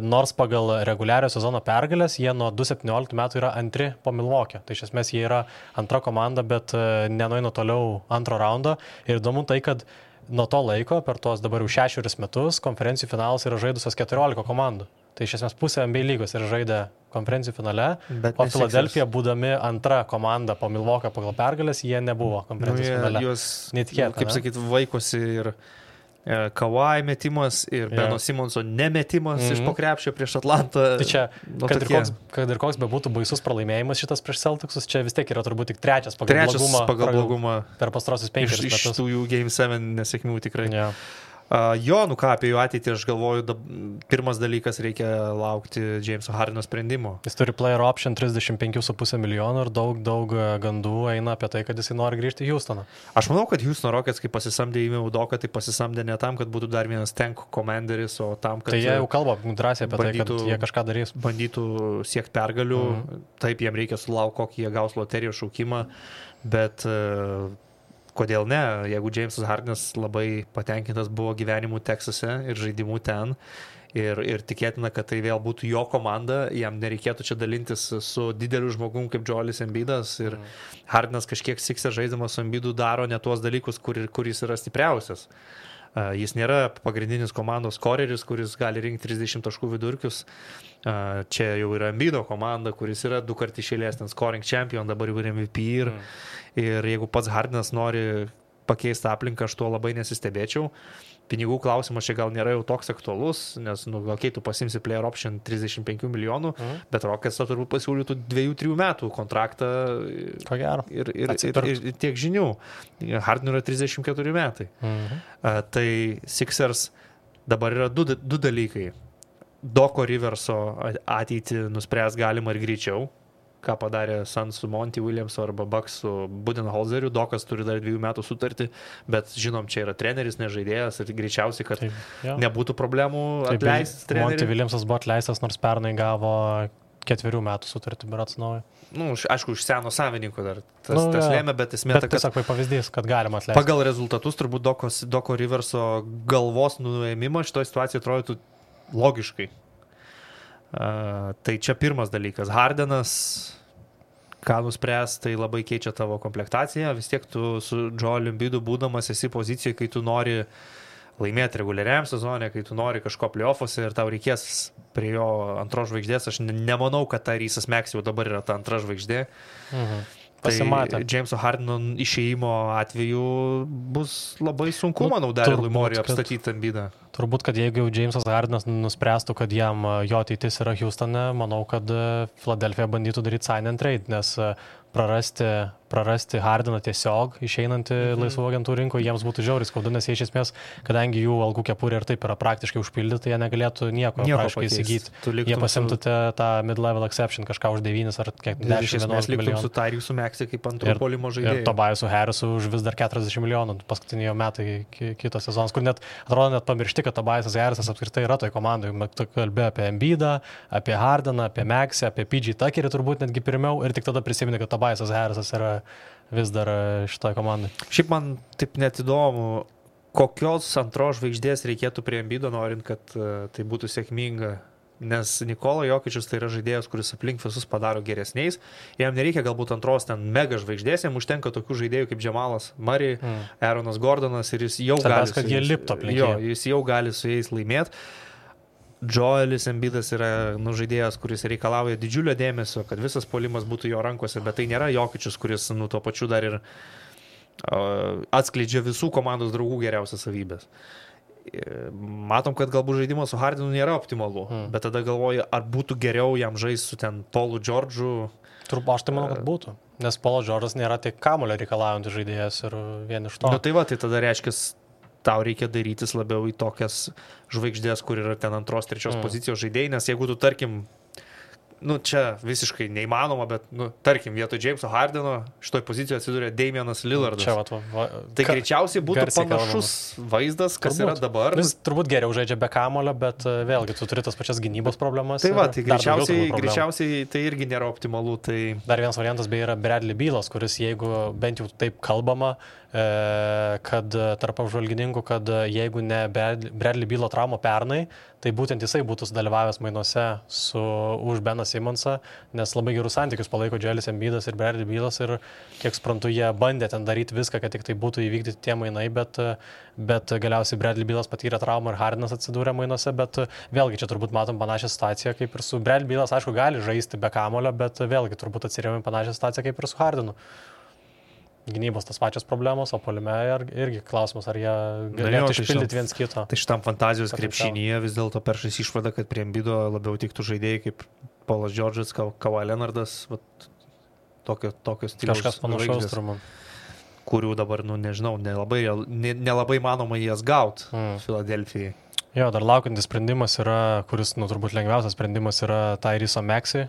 nors pagal reguliario sezono pergalės jie nuo 2017 metų yra antri po Milwaukee, tai iš esmės jie yra antra komanda, bet nenueina toliau antro raundo ir įdomu tai, kad nuo to laiko, per tuos dabar jau 6 metus, konferencijų finalas yra žaidusios 14 komandų. Tai iš esmės pusė NBA lygos yra žaidę konferencijų finale, o Philadelphia, būdami antra komanda po Milwaukee pagal pergalės, jie nebuvo konferencijų finale. Juos, netikėta, kaip sakyti, vaikosi ir Kawhi metimas, ir Beno Simonso nemetimas iš po krepšio prieš Atlantą. Tai čia, kad ir koks bebūtų baisus pralaimėjimas šitas prieš Celticsus, čia vis tiek yra turbūt tik trečias pagal blogumą per pastarosius 5 metus. Iš tų jų Game 7 nesėkmių tikrai. Yeah. Nu ką, apie jų ateitį aš galvoju, pirmas dalykas reikia laukti Jameso Hardeno sprendimo. Jis turi player option 35,5 milijonų ir daug gandų eina apie tai, kad jisai nori grįžti į Houstoną. Aš manau, kad Houstono Rockets, kai pasisamdė Ime Udoką, tai pasisamdė ne tam, kad būtų dar vienas tank commanderis, o tam, kad... Tai jie jau kalba drąsiai apie tai, kad jie kažką darys. Bandytų siekti pergalių, taip, jiem reikia sulaukti, kokį jie gaus loterijos šaukimą, bet... Kodėl ne, jeigu Jamesas Hardenas labai patenkintas buvo gyvenimu Teksase ir žaidimu ten ir tikėtina, kad tai vėl būtų jo komanda, jam nereikėtų čia dalintis su dideliu žmogum kaip Joelis Embiidas ir Hardenas kažkiek Sixer žaiddamas su Embiidu daro ne tuos dalykus, kur jis yra stipriausias. Jis nėra pagrindinis komandos skoreris, kuris gali rinkti 30 taškų vidurkius. Čia jau yra Embiido komanda, kuris yra 2 kartus iš eilės ten scoring champion, dabar jau yra MVP ir jeigu pats Hardenas nori pakeisti aplinką, aš tuo labai nesistebėčiau. Pinigų klausimas čia gal nėra jau toks aktualus, nes gal kai tu pasimsi player option 35 milijonų, bet Rockets turbūt pasiūlytų 2-3 metų kontraktą ir tiek žinių. Hardenui yra 34 metai. Tai Sixers dabar yra du dalykai. Doko Riverso ateitį nuspręs galima ir greičiau, ką padarė Suns su Monty Williams arba Bucks su Budenholzeriu. Dokas turi dar 2 metų sutartį, bet žinom, čia yra treneris, nežaidėjas ir greičiausiai, kad nebūtų problemų atleisti trenerį. Monty Williamsas buvo atleistas, nors pernai gavo 4 metų sutartį berods naują. Aišku, iš seno savininko dar tas lėmė, bet esmė ta, kad... tiesiog pavyzdys, kad galima atleisti. Pagal rezultatus turbūt Doko Riverso galvos nuėmimas šitoje situacijoje atrodytų logiškai. Tai čia pirmas dalykas. Hardenas, ką nuspręs, tai labai keičia tavo komplektaciją. Vis tiek tu su Joeliu Embiidu būdamas esi pozicijoje, kai tu nori laimėti reguliariam sezone, kai tu nori kažko play-offuose ir tau reikės prie jo antros žvaigždės. Aš nemanau, kad Tyrese Maxey jau dabar yra ta antra žvaigždė. Pasimatė. Tai Jameso Hardeno išėjimo atveju bus labai sunku, manau, Darylui Morey apstatyti Embiidą. Turbūt, kad jeigu jau Jamesas Hardenas nuspręstų, kad jam jo ateitis yra Houstone, manau, kad Philadelphia bandytų daryti sign and trade, nes prarasti Hardeną tiesiog išeinantį laisvų agentų rinkoje, jiems būtų žiauriai skaudu, nes jie iš esmės, kadangi jų algų kepurė ir taip yra praktiškai užpildyti, jie negalėtų nieko praktiškai įsigyti. Jie pasimtų tą mid-level exception kažką už 9 ar 10-11 milijonų. Su Tyrese Maxey kaip antro puolimo žaidėjai. Ir Tobiasu Harrisu už vis dar 40 milijonų paskutinio metai kitos sezonas, kur net atrodo net pamiršti, kad Tobiasas Harrisas apskritai yra toj komandai. Tu kalbėjai apie Embiidą, apie Hardeną, apie Maxey, apie PG Tuckerį turbūt netgi pirmiau ir tik tada prisimeni, kad Tobiasas Harrisas yra vis dar šitoj komandai. Šiaip man taip net įdomu, kokios antros žvaigždės reikėtų prie Embiido, norint, kad tai būtų sėkminga. Nes Nikola Jokičius tai yra žaidėjas, kuris aplink visus padaro geresniais. Jam nereikia galbūt antros ten mega žvaigždės, jam užtenka tokių žaidėjų kaip Jamalas Murray, Aaronas Gordonas ir jis jau gali... kad jie lipto aplink. Jis jau gali su jais laimėti. Joelis Embiidas yra žaidėjas, kuris reikalauja didžiulio dėmesio, kad visas puolimas būtų jo rankose, bet tai nėra Jokičius, kuris tuo pačiu dar ir atskleidžia visų komandos draugų geriausias savybės. Matom, kad galbūt žaidimas su Hardenu nėra optimalu, bet tada galvoju, ar būtų geriau jam žaisti su ten Paulu George'u. Aš tai manau, kad būtų, nes Paulas George'as nėra tik kamuolio reikalaujantis žaidėjas ir vien iš to. Tai tada reiškia, tau reikia darytis labiau į tokias žvaigždės, kur yra ten antros, trečios pozicijos žaidėjai, nes jeigu tu, tarkim, čia visiškai neįmanoma, bet, tarkim, vietoj Jameso Hardeno šitoj pozicijoje atsidūrė Damianas Lillardas. Tai greičiausiai būtų panašus vaizdas, kas turbūt yra dabar. Jis turbūt geriau žaidžia be kamulio, bet vėlgi tu turi tas pačias gynybos problemas. Tai tai greičiausiai tai irgi nėra optimalu. Tai... Dar vienas variantas beje yra Bradley Bealas, kuris jeigu bent jau taip kalbama, kad tarp apžvalgininkų, kad jeigu ne Bradley Bealo trauma pernai, tai būtent jisai būtų sudalyvavęs mainuose už Beną Simmonsą, nes labai gerus santykius palaiko Joelis Embiidas ir Bradley Bealas ir kiek suprantu, jie bandė ten daryti viską, kad tik tai būtų įvykdyti tie mainai, bet galiausiai Bradley Bealas patyrė traumą ir Hardenas atsidūrė mainuose, bet vėlgi čia turbūt matom panašią situaciją kaip ir su Bradley Bealas, aišku, gali žaisti be kamulio, bet vėlgi turbūt atsirėmė panašią situaciją kaip ir su Hardenu. Gynybos tas pačios problemos, o puolime irgi klausimas, ar jie galėtų išpildyti viens kito. Tai šitam fantazijos krepšinyje vis dėlto peršais išvada, kad prie Embiido labiau tiktų žaidėjai kaip Paulas Džordžas, Kawhi Leonardas, tokios stiliaus kažkas panašaus turbūt. Kurių dabar, nežinau, nelabai manoma jas gaut Filadelfijai. Jo, dar laukiantis sprendimas yra, kuris, turbūt lengviausias sprendimas yra Tyrese Maxey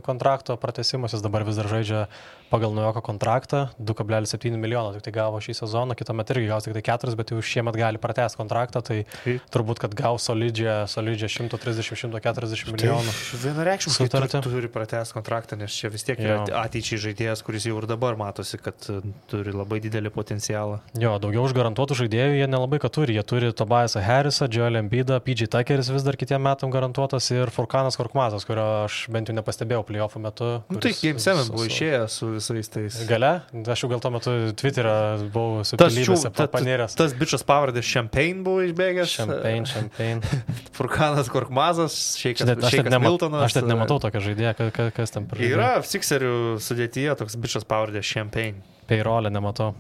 kontrakto pratęsimas, jis dabar vis dar žaidžia pagal naujoko kontraktą, 2,7 milijono tik tai gavo šį sezoną, kitąmet irgi gaus tik tai 4, bet jau šiemet gali pratęsti kontraktą, tai turbūt, kad gaus solidžią 130-140 milijonų. Vienareikšmiškai turi pratęsti kontraktą, nes čia vis tiek yra ateičiai žaidėjas, kuris jau ir dabar matosi, kad turi labai didelį potencialą. Jo, daugiau užgarantuotų žaidėjų jie nelabai ką turi, jie turi Tobiasą Harrisą, Joel Embiidą, PJ Tuckeris vis dar kitiem metam garantuotas ir Furkanas Korkmazas, kurio aš bent jau nepastebėjau playoffų metu. Tai Game 7 buvo išėjęs su visais tais. Gale? Aš jau gal tuo metu Twitter'ą buvau supilybėse panėręs. Tas bičas pavardės Champagne buvo išbėgęs. Champagne. Furkanas Korkmazas, Šeikas Miltonas. Aš net nematau tokio žaidėjo, kas ten per žaidėjo. Yra Sixerių sudėtyje toks bičas pavardės Champagne. Peirolę nematau.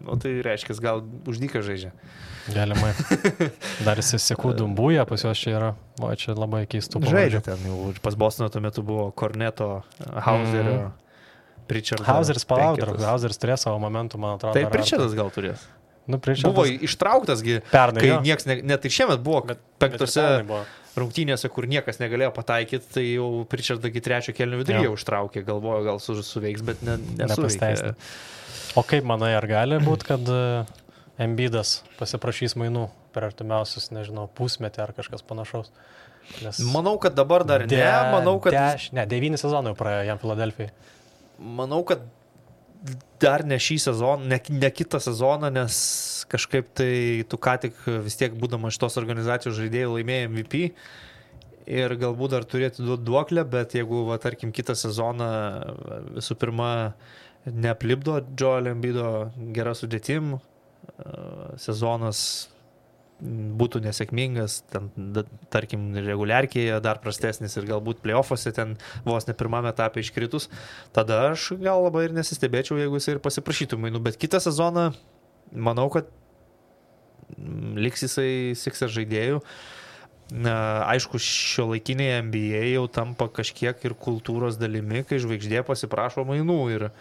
Tai reiškia, gal uždyka žaidžia. Galimai. Dar jis sekų Dumbuja, pas juos čia yra. O čia labai keistų pavardžių. Žaidžia ten jau. Pas Bostono tuo metu buvo Korneto, Hauserio, Pritchardo. Hauseris palauk, Hauseris turės savo momentų, man atrodo. Tai Pritchardas gal turės. Buvo ištrauktasgi, pernai, kai nieks, net ir šiemet buvo penktose rungtynėse, kur niekas negalėjo pataikyti, tai jau Pritchardagi trečio kėlinio viduryje užtraukė, galvojo, gal suveiks, bet nesuveikė. O kaip manai, ar gali būti, kad Embiidas pasiprašys mainų per artimiausius, nežinau, pusmetį ar kažkas panašaus? Nes manau, kad dabar dar ne. Manau, kad 9 sezonų praėjo jam Filadelfijai. Manau, kad dar ne šį sezoną, ne kitą sezoną, nes kažkaip tai tu ką tik vis tiek būdama šitos organizacijos žaidėjų laimėjai MVP ir galbūt dar turėtų duoklę, bet jeigu, tarkim, kitą sezoną visų pirma neaplipdo Joel Embiido gera sudėtim, sezonas būtų nesėkmingas, ten, tarkim, reguliarkėje dar prastesnis ir galbūt playoffuose ten vos ne pirmame etape iškritus, tada aš gal labai ir nesistebėčiau, jeigu jis ir pasiprašytų mainų, bet kitą sezoną manau, kad liks jisai Sixers žaidėjų. Aišku, šiuolaikinėje NBA jau tampa kažkiek ir kultūros dalimi, kai žvaigždė pasiprašo mainų ir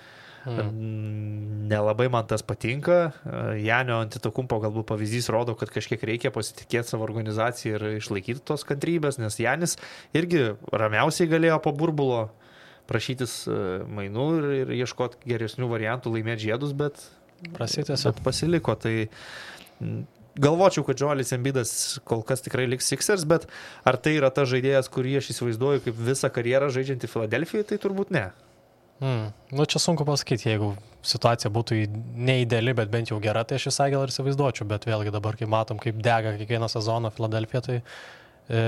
nelabai man tas patinka. Janio Antetokumpo galbūt pavyzdys rodo, kad kažkiek reikia pasitikėti savo organizaciją ir išlaikyti tos kantrybės, nes Janis irgi ramiausiai galėjo po burbulo prašytis mainų ir ieškoti geresnių variantų laimėti žiedus, bet pasiliko. Tai galvočiau, kad Joelis Embiidas kol kas tikrai liks Sixers, bet ar tai yra ta žaidėjas, kurį aš įsivaizduoju kaip visą karjerą žaidžiantį Filadelfijai, tai turbūt ne. Čia sunku pasakyti, jeigu situacija būtų neideali, bet bent jau gera, tai aš visai gal ir įsivaizduočiau, bet vėlgi dabar, kai matom, kaip dega kiekvieną sezoną Filadelfija, tai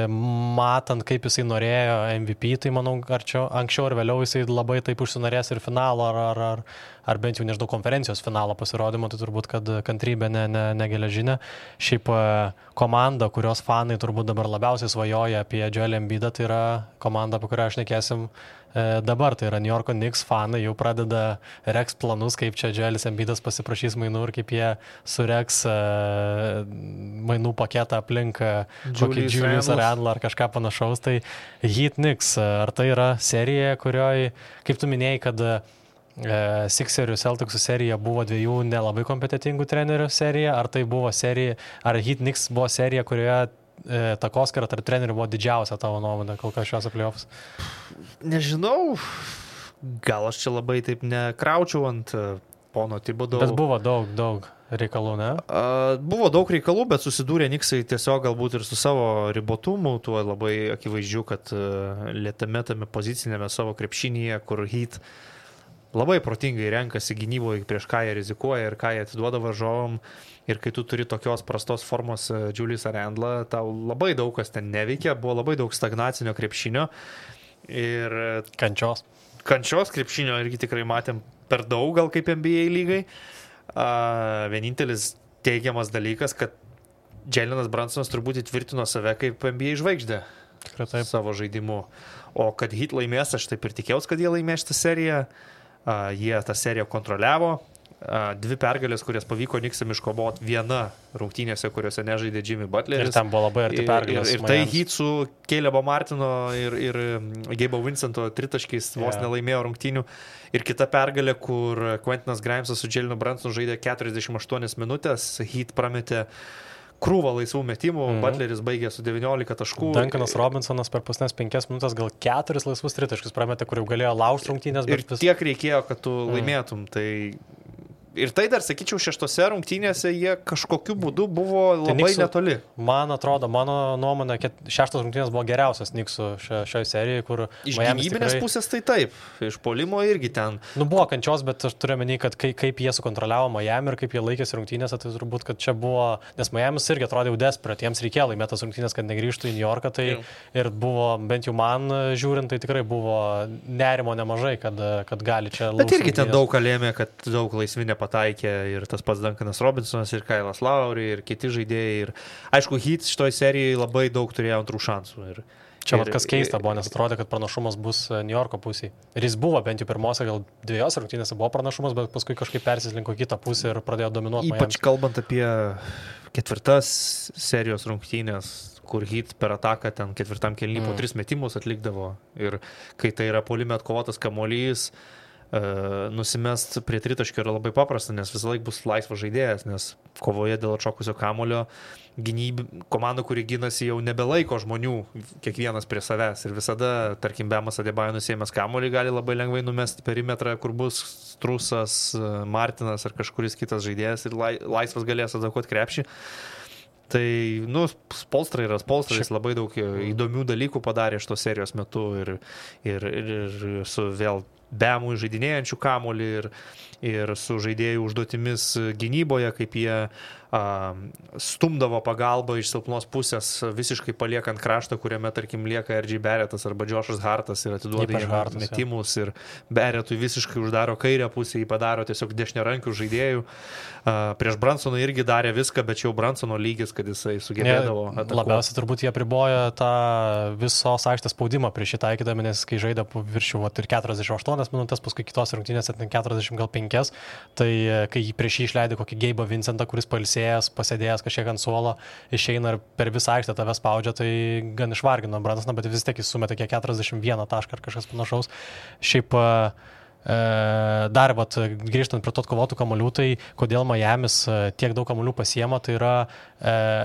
matant, kaip jisai norėjo MVP, tai manau, anksčiau ar vėliau jisai labai taip užsinorės ir finalo, ar bent jau, nežinau, konferencijos finalo pasirodymo, tai turbūt, kad kantrybė negeležinė. Šiaip komanda, kurios fanai turbūt dabar labiausiai svajoja apie Joelį Embiidą, tai yra komanda, apie kurią aš nekėsim dabar, tai yra New Yorko Knicks fanai, jau pradeda reks planus, kaip čia Joelis Embiidas pasiprašys mainų ir kaip jie sureks mainų paketą aplink kokį Julius Randle ar kažką panašaus. Tai Heat Knicks, ar tai yra serija, kurioje, kaip tu minėjai, kad Sixerių Celticsų serija buvo dviejų nelabai kompetitingų trenerių serija, ar tai buvo serija, ar Heat Knicks buvo serija, kurioje takoskara tarp trenerių buvo didžiausia tavo nuomonė kol kas šios playoffs? Nežinau, gal aš čia labai taip nekraučiau ant pono Thibodeau. Bet buvo daug reikalų, ne? Buvo daug reikalų, bet susidūrė Knicksai tiesiog galbūt ir su savo ribotumu, tuo labai akivaizdžiu, kad lėtame tame pozicinėme savo krepšinyje, kur Heat labai protingai renkasi gynyboje, prieš ką jie rizikuoja ir ką jie atiduoda varžovom. Ir kai tu turi tokios prastos formos Juliusą Randlą, tau labai daug kas ten neveikia, buvo labai daug stagnacinio krepšinio. Ir kančios krepšinio irgi tikrai matėm per daug, gal kaip NBA lygai. Vienintelis teigiamas dalykas, kad Jalenas Brunsonas turbūt įtvirtino save kaip NBA žvaigždė savo žaidimu. O kad Heat laimės, aš taip ir tikėjausi, kad jie laimės šitą seriją. Jie tą seriją kontroliavo. 2 pergalės, kurias pavyko Knicksam iškovoti, viena rungtynėse, kuriuose nežaidė Jimmy Butleris. Ir ten buvo labai arti pergalės. Ir tai Heat su Calebo Martino ir Gabe'o Vincento tritaškiais vos nelaimėjo rungtynių. Ir kita pergalė, kur Quentinas Grimesas su Jalenu Brunsonu žaidė 48 minutės, Heat prametė krūvą laisvų metimų, Butleris baigė su 19 taškų. Duncanas Robinsonas per pasnes 5 minutės gal 4 laisvus tritaškius prametė, kur jau galėjo laužti rungtynės. Ir tiek reikėjo, kad tu laimėtum. Tai... Ir tai dar, sakyčiau, 6 rungtynėse jie kažkokiu būdu buvo labai netoli. Man atrodo, mano nuomonė, 6 rungtynės buvo geriausias Knicksų šioje serijoje, kur... Iš gynybinės pusės tai taip, iš puolimo irgi ten. Buvo kančios, bet aš turiu menį, kad kaip jie sukontroliavo Miami ir kaip jie laikėsi rungtynėse, tai turbūt, kad čia buvo... Nes Miamis irgi atrodė jau desperate, jiems reikėjo laimėti tas rungtynės, kad negrįžtų į New Yorką, tai ir buvo, bent jau man žiūrint, tai tikrai buvo nerimo nemažai, kad gali čia... Bet irgi ten daug kalėmė, kad daug laisvinė pataikė ir tas pats Duncanas Robinsonas ir Kailas Lowry ir kiti žaidėjai. Ir, aišku, Heat šitoj serijai labai daug turėjo antrų šansų. Čia kas keista buvo, nes atrodė, kad pranašumas bus New Yorko pusėje. Ir jis buvo bent jau pirmose, gal 2 rungtynėse buvo pranašumas, bet paskui kažkaip persislinko kitą pusę ir pradėjo dominuoti. Ypač kalbant apie 4 serijos rungtynės, kur Heat per ataką ten 4 kėlinį po 3 metimus atlikdavo. Ir kai tai yra puolime atkovotas kamuolys, nusimest prie tritaškio yra labai paprasta, nes visą laiką bus laisvas žaidėjas, nes kovoje dėl atšokusio kamulio komanda, kuri ginasi, jau nebelaiko žmonių kiekvienas prie savęs ir visada, tarkim, Bemas Adebayo nusėmęs kamulį gali labai lengvai numesti perimetrą, kur bus Strusas, Martinas ar kažkuris kitas žaidėjas ir laisvas galės atakuoti krepšį. Tai, Spolstra yra Spolstras, labai daug įdomių dalykų padarė šitos serijos metu ir su vėl Bemų žaidinėjančių kamuolį ir su žaidėjų užduotimis gynyboje, kaip jie stumdavo pagalbą iš silpnos pusės, visiškai paliekant kraštą, kuriame, tarkim, lieka R.J. Barrettas arba Joshas Hartas ir atiduoda jiems metimus ir Barrettui visiškai uždaro kairę pusę, jį padaro tiesiog dešiniarankių žaidėjų. Prieš Brunsoną irgi darė viską, bet jau Brunsono lygis, kad jisai sugebėdavo atakuoti. Labiausiai turbūt jie pribojo tą visos aikštės spaudimą prieš jį taikydami, nes kai žaidė viršių ir 48 minutės, paskui kitos rungtynės 45, tai kai prieš jį išleidė kokį Gabe'ą Vincentą, kuris pasėdėjęs kažkiek ant suolo, išeina ir per visą aikštę tave spaudžia, tai gan išvargino Brunsoną, bet vis tiek jis sumetė 41 tašką ar kažkas panašaus. Šiaip dar, grįžtant prie to atkovotų kamuolių, tai kodėl Miamis tiek daug kamuolių pasiema, tai yra,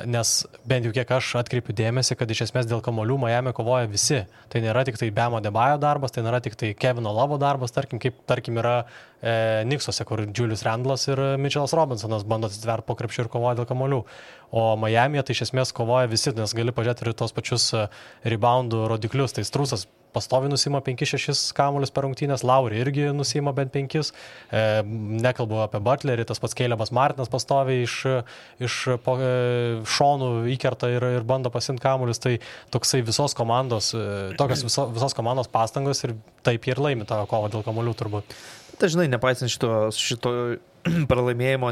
nes bent jau kiek aš atkreipiu dėmesį, kad iš esmės dėl kamuolių Miami kovoja visi. Tai nėra tik tai Bamo Adebayo darbas, tai nėra tik tai Kevino Lovo darbas, tarkim yra Knicksuose, kur Julius Randlas ir Mitchellas Robinsonas bando atsitverti po krepšiu ir kovoja dėl kamuolių. O Miami tai iš esmės kovoja visi, nes gali pažiūrėti ir tos pačius reboundų rodiklius. Tai Strusas pastovi nusima 5-6 kamuolius per rungtynės, Lowry irgi nusima bent 5. Nekalbu apie Butlerį, tas pats Calebas Martinas pastovi iš šonų įkerta ir bando pasimti kamuolius. Tai toksai visos komandos pastangos ir taip ir laimi tą kovą dėl kamuolių turbūt. Tai žinai, nepaisant šito pralaimėjimo,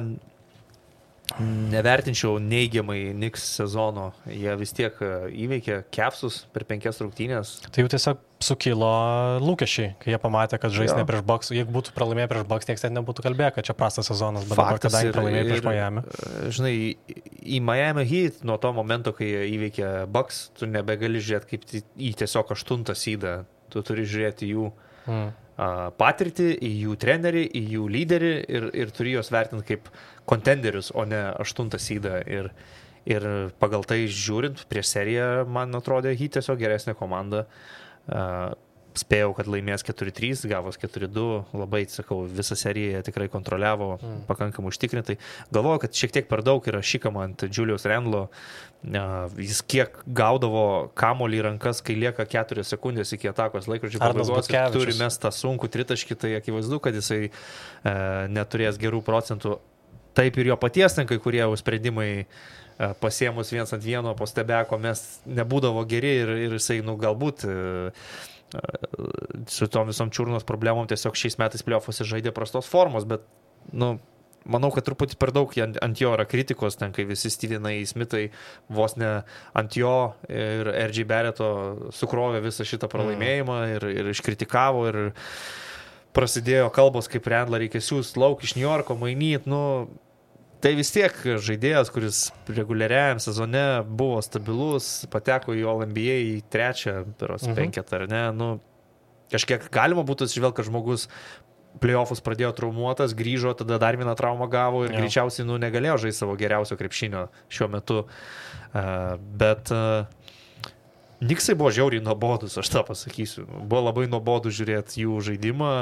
nevertinčiau neigiamai Knicks sezono. Jie vis tiek įveikė Cavsus per 5 rungtynės. Tai jau tiesiog sukilo lūkesčiai, kai jie pamatė, kad žais ne prieš Bucks. Jeigu būtų pralaimėję prieš Bucks, niekas ten nebūtų kalbėję, kad čia prastas sezonas, bet dabar, kadangi pralaimėjo prieš Miami. Žinai, į Miami Heat nuo to momento, kai jie įveikė Bucks, tu nebegali žiūrėti kaip į tiesiog 8 sydą. Tu turi žiūrėti jų patirtį, į jų trenerį, į jų lyderį ir turi juos vertinti kaip kontenderius, o ne 8 sydą. Ir pagal tai žiūrint, prieš seriją, man atrodė, Heat tiesiog geresnė komanda. Spėjau, kad laimės 4-3, gavos 4-2, labai, sakau, visą seriją tikrai kontroliavo pakankamai užtikrintai. Galvoju, kad šiek tiek per daug yra šikama ant Julius Randlo. Jis kiek gaudavo kamuolį į rankas, kai lieka 4 sekundės iki atakos laikrodžio pabaigos, turi mestą sunkų tritaškį, tai akivaizdu, kad jisai neturės gerų procentų. Taip ir jo paties ten kai kurie sprendimai pasiemus 1-1 po stebeko mes nebūdavo geri ir jisai, galbūt su tom visom čiurnos problemom tiesiog šiais metais play-offuose žaidė prastos formos, bet, manau, kad truputį per daug ant jo yra kritikos, ten kai visi Stevenai Smithai vos ne ant jo ir RJ Barretto sukrovė visą šitą pralaimėjimą ir iškritikavo ir prasidėjo kalbos, kaip Randlą reikia siūsti lauk iš New Yorko, mainyti, tai vis tiek žaidėjas, kuris reguliariajam sezone buvo stabilus, pateko į All-NBA į 3 penketą, ar ne, kažkiek galima būtų atsižvelgti, kad žmogus play-offus pradėjo traumuotas, grįžo, tada dar vieną traumą gavo ir greičiausiai negalėjo žaisti savo geriausio krepšinio šiuo metu. Bet Knicksai buvo žiauriai nuobodus, aš tą pasakysiu. Buvo labai nuobodu žiūrėti jų žaidimą.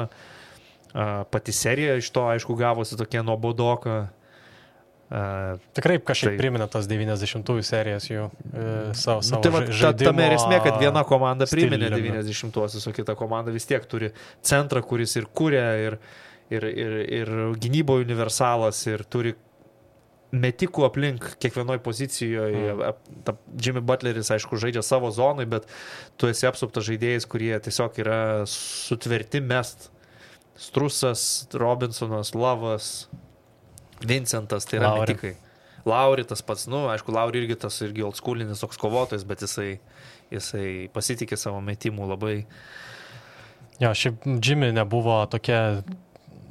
Pati serija iš to, aišku, gavosi tokia nuobodoka. Tikrai kažkiek primena tas 90-ųjų serijas jų savo žaidimo. Tame ir esmė, kad viena komanda priminė 90-uosius, o kita komanda vis tiek turi centrą, kuris ir kuria, ir gynyboje universalas, ir turi metikų aplink kiekvienoj pozicijoje. Jimmy Butleris, aišku, žaidžia savo zonai, bet tu esi apsuptas žaidėjais, kurie tiesiog yra sutverti mest. Strusas, Robinsonas, Lavas, Vincentas, tai yra metikai. Lauri tas pats, aišku, Lauri irgi tas irgi oldschoolinis toks kovotojas, bet jisai pasitikė savo metimų labai. Jo, šiaip Jimmy nebuvo tokia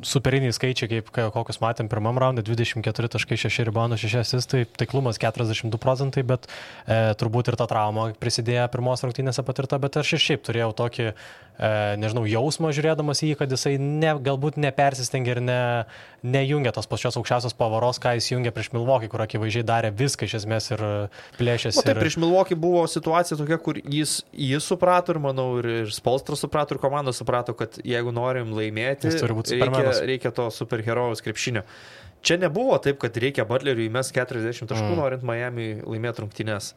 superiniai skaičiai, kaip kokius matėm pirmam raunde, 24.6 ribaundo 6 asistai, taiklumas 42%, bet turbūt ir ta trauma prisidėjo pirmos rungtynėse patirta, bet aš ir šiaip turėjau tokį, jausmą žiūrėdamas į jį, kad jisai galbūt nepersistengia ir nejungia tos pačios aukščiausios pavaros, ką jis jungia prieš Milwaukee, kur akivaizdžiai darė viską iš esmės ir plėšėsi. Tai prieš Milwaukee buvo situacija tokia, kur jis suprato ir, manau, ir Spolstra suprato, ir komanda suprato, kad jeigu norim laimėti, reikia to superherojaus krepšinio. Čia nebuvo taip, kad reikia Butleriui įmest 40 taškų, norint Miami laimėti rungtynes.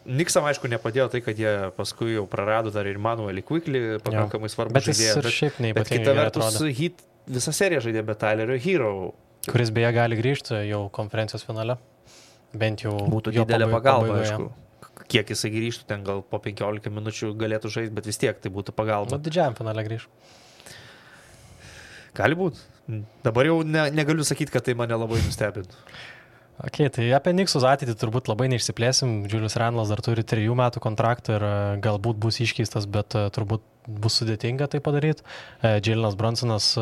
Knicksam, aišku, nepadėjo tai, kad jie paskui jau prarado dar ir Manuelį Quickly, pakankamai svarbu žaidėją. Bet kita vertus, Heat visą seriją žaidė be Tylerio Hero. Kuris beje gali grįžti jau konferencijos finale. Bent jau būtų didelė pagalba, aišku. Kiek jisai grįžtų, ten gal po 15 minučių galėtų žaisti, bet vis tiek tai būtų pagalba. Didžiajam finale grįžtų. Gali būt. Dabar jau negaliu sakyti, kad tai mane labai nustebintų. Tai apie Knicksus ateitį turbūt labai neišsiplėsim. Julius Randlas dar turi 3 metų kontraktą ir galbūt bus iškeistas, bet turbūt bus sudėtinga tai padaryti. Jalenas Brunsonas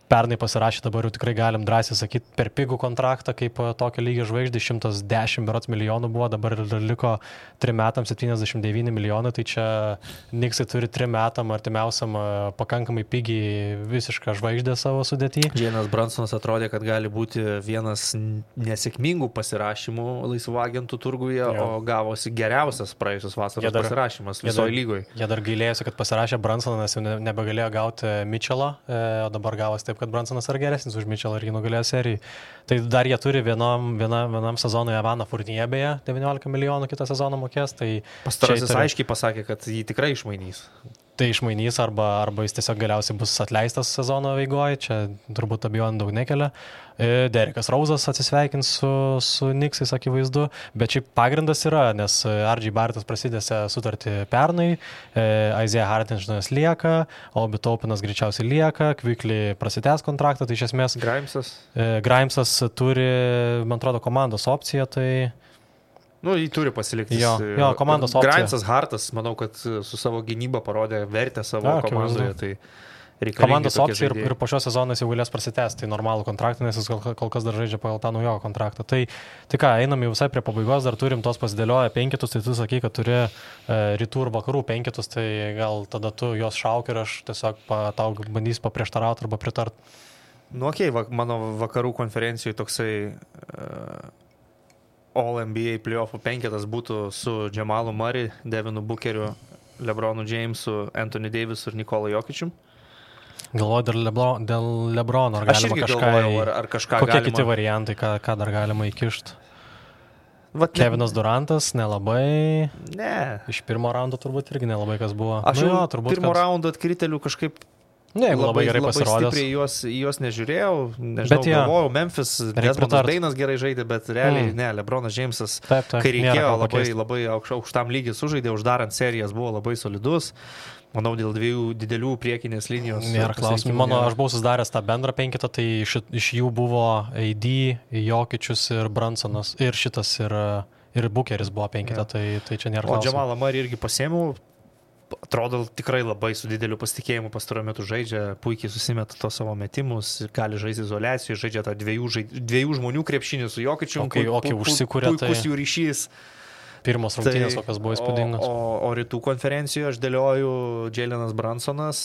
pernai pasirašė, dabar jau tikrai galim drąsiai sakyti, per pigų kontraktą kaip tokio lygio žvaigždė, 110 berods milijonų buvo, dabar liko 3 metams 79 milijonų, tai čia Knicksai turi 3 metam artimiausiam pakankamai pigiai visišką žvaigždę savo sudėtį. Jalenas Brunsonas atrodė, kad gali būti vienas nesėkmingų pasirašymų laisvų agentų turguje, o gavosi geriausias praėjusios vasaros pasirašymas visoje lygoje. Jie dar gailėjosi, kad pasirašė Brunsoną, nes jau nebegalėjo gauti Mitchellą, o dabar gavosi taip, kad Brunsonas yra geresnis už Mitchellą ir jį nugalėjo serijai. Tai dar jie turi vienam sezonui Evaną Fournier, beje, 19 milijonų kitą sezoną mokės. Tai pastarasis aiškiai pasakė, kad jį tikrai išmainys. Tai išmainys arba jis tiesiog galiausiai bus atleistas sezono eigoje, čia turbūt abejonių daug nekelia. Derekas Rouzas atsisveikins su Knicksais, akivaizdu, bet šiaip pagrindas yra, nes RJ Barrettas prasidėsi sutartį pernai, Isaiah Hartensteinas lieka, Obi Topinas greičiausiai lieka, Quickly prasitęs kontraktą, tai iš esmės Grimesas turi, man atrodo, komandos opciją, tai jį turi pasilikti. Jo, komandos opcija. Grimesas Hartas, manau, kad su savo gynyba parodė vertę savo komandoje. Tai komandos opcija ir po šio sezono jis jau galės prasitęsti, tai normalų kontraktą, nes jis kol kas dar žaidžia pagal tą naujo kontraktą. Tai ką, einam jau visai prie pabaigos, dar turim tos pasidėlioję 5, tai tu sakai, kad turi rytų ir vakarų 5, tai gal tada tu jos šauk ir aš tiesiog tau bandysiu paprieštarauti arba pritart. Mano vakarų konferencijoje toksai All NBA playoffų penketas būtų su Jamalu Murray, Devinu Bookeriu, LeBronu Jamesu, Anthony Davisu ir Nikola Jokičium. Galvoju dėl LeBrono, ar Aš galima irgi kažką... galvojau, ar kažką Kokie galima... kiti variantai, ką dar galima įkišti? Vat, Kevinas Durantas, nelabai. Ne. Iš pirmo raundo turbūt irgi nelabai kas buvo. Aš jau turbūt pirmo raundo atkritelių kažkaip Ne, labai gerai pasirodęs. Labai stipriai juos nežiūrėjau, nežinau, galvojau, Memphis, Desmondas Beinas gerai žaidė, bet realiai ne, LeBronas Jamesas, kai reikėjo, labai aukštam lygį sužaidė, uždarant serijas buvo labai solidus. Manau, dėl dviejų didelių priekinės linijos. Nėra klausimų. Aš buvau susidaręs tą bendrą penketą, tai iš jų buvo AD, Jokičius ir Brunsonas, ir šitas, ir Bookeris buvo penketą, tai čia nėra klausimų. O Jamalą Murray irgi pasiėmiau. Atrodo, tikrai labai su dideliu pasitikėjimu pastaruoju metu žaidžia, puikiai susimeta to savo metimus, gali žaisti izoliacijoje, žaidžia tą dviejų žmonių krepšinį su Jokičiu, puikus jų ryšys. Pirmos rungtynės, kokios buvo įspūdingos. O rytų konferencijoje aš dėlioju Jalenas Brunsonas,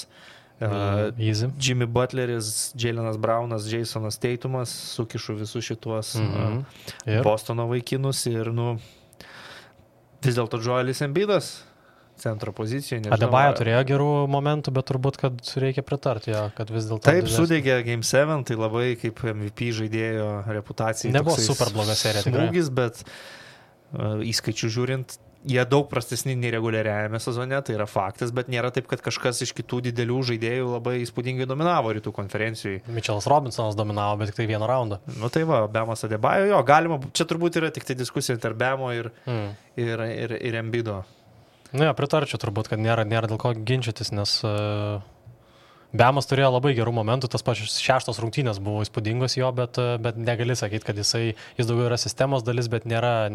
Jimmy Butleris, Jalenas Brownas, Jasonas Tatumas, sukišu visus šituos Bostono vaikinus ir vis dėlto Joelis Embiidas centro pozicijoje. Adebayo turėjo gerų momentų, bet turbūt, kad reikia pritarti jo, kad vis dėlto... Taip, sudegė Game 7, tai labai kaip MVP žaidėjo reputacijai. Nebuvo super bloga serija, tikrai. Smūgis, bet įskaičių žiūrint, jie daug prastesni nei reguliariajame sezone, tai yra faktas, bet nėra taip, kad kažkas iš kitų didelių žaidėjų labai įspūdingai dominavo rytų konferencijoje. Mitchellas Robinsonas dominavo, bet tik tai vieną raundą. Tai va, Bemas Adebayo, jo, galima, čia turbūt yra tik tai diskusija tarp Bemo ir Embiido. Pritarčiau turbūt, kad nėra dėl ko ginčytis, nes Bemas turėjo labai gerų momentų, tas pačios 6 rungtynės buvo įspūdingos jo, bet negali sakyti, kad jis daugiau yra sistemos dalis, bet nėra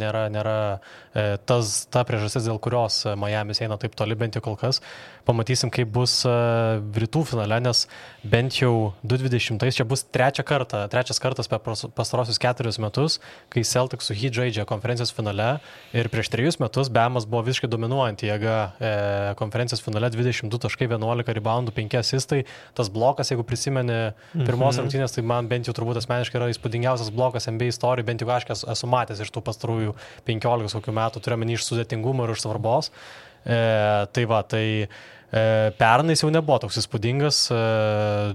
ta priežastis, dėl kurios Miamis eina taip toli, bent jau kol kas. Pamatysim, kaip bus rytų finale, nes bent jau 2020 čia bus trečias kartas per pastarosius 4 metus, kai Celtics su Heat žaidžia konferencijos finale ir prieš 3 metus Bemas buvo visiškai dominuojanti jėga konferencijos finale, 22 taškai, 11 reboundų, 5 asistai. Tas blokas, jeigu prisimeni pirmos rungtynės, tai man bent jau turbūt asmeniškai yra įspūdingiausias blokas NBA istorijai, bent jau aš esu matęs iš tų pastarųjų 15 kokių metų, turiuomenį iš sudėtingumo ir iš svarbos. Pernais jau nebuvo toks įspūdingas,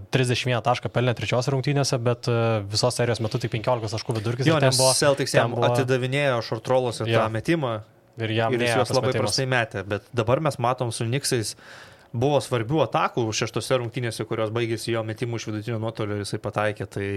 31 tašką pelnė 3 rungtynėse, bet visos serijos metu tik 15 taškų vidurkis. Jo, nes Celtics jam atidavinėjo short-rollose tą metimą ir jis juos labai prastai metė, bet dabar mes matom su Knicksais buvo svarbių atakų 6 rungtynėse, kurios baigėsi jo metimų iš vidutinio nuotolio ir jisai pataikė, tai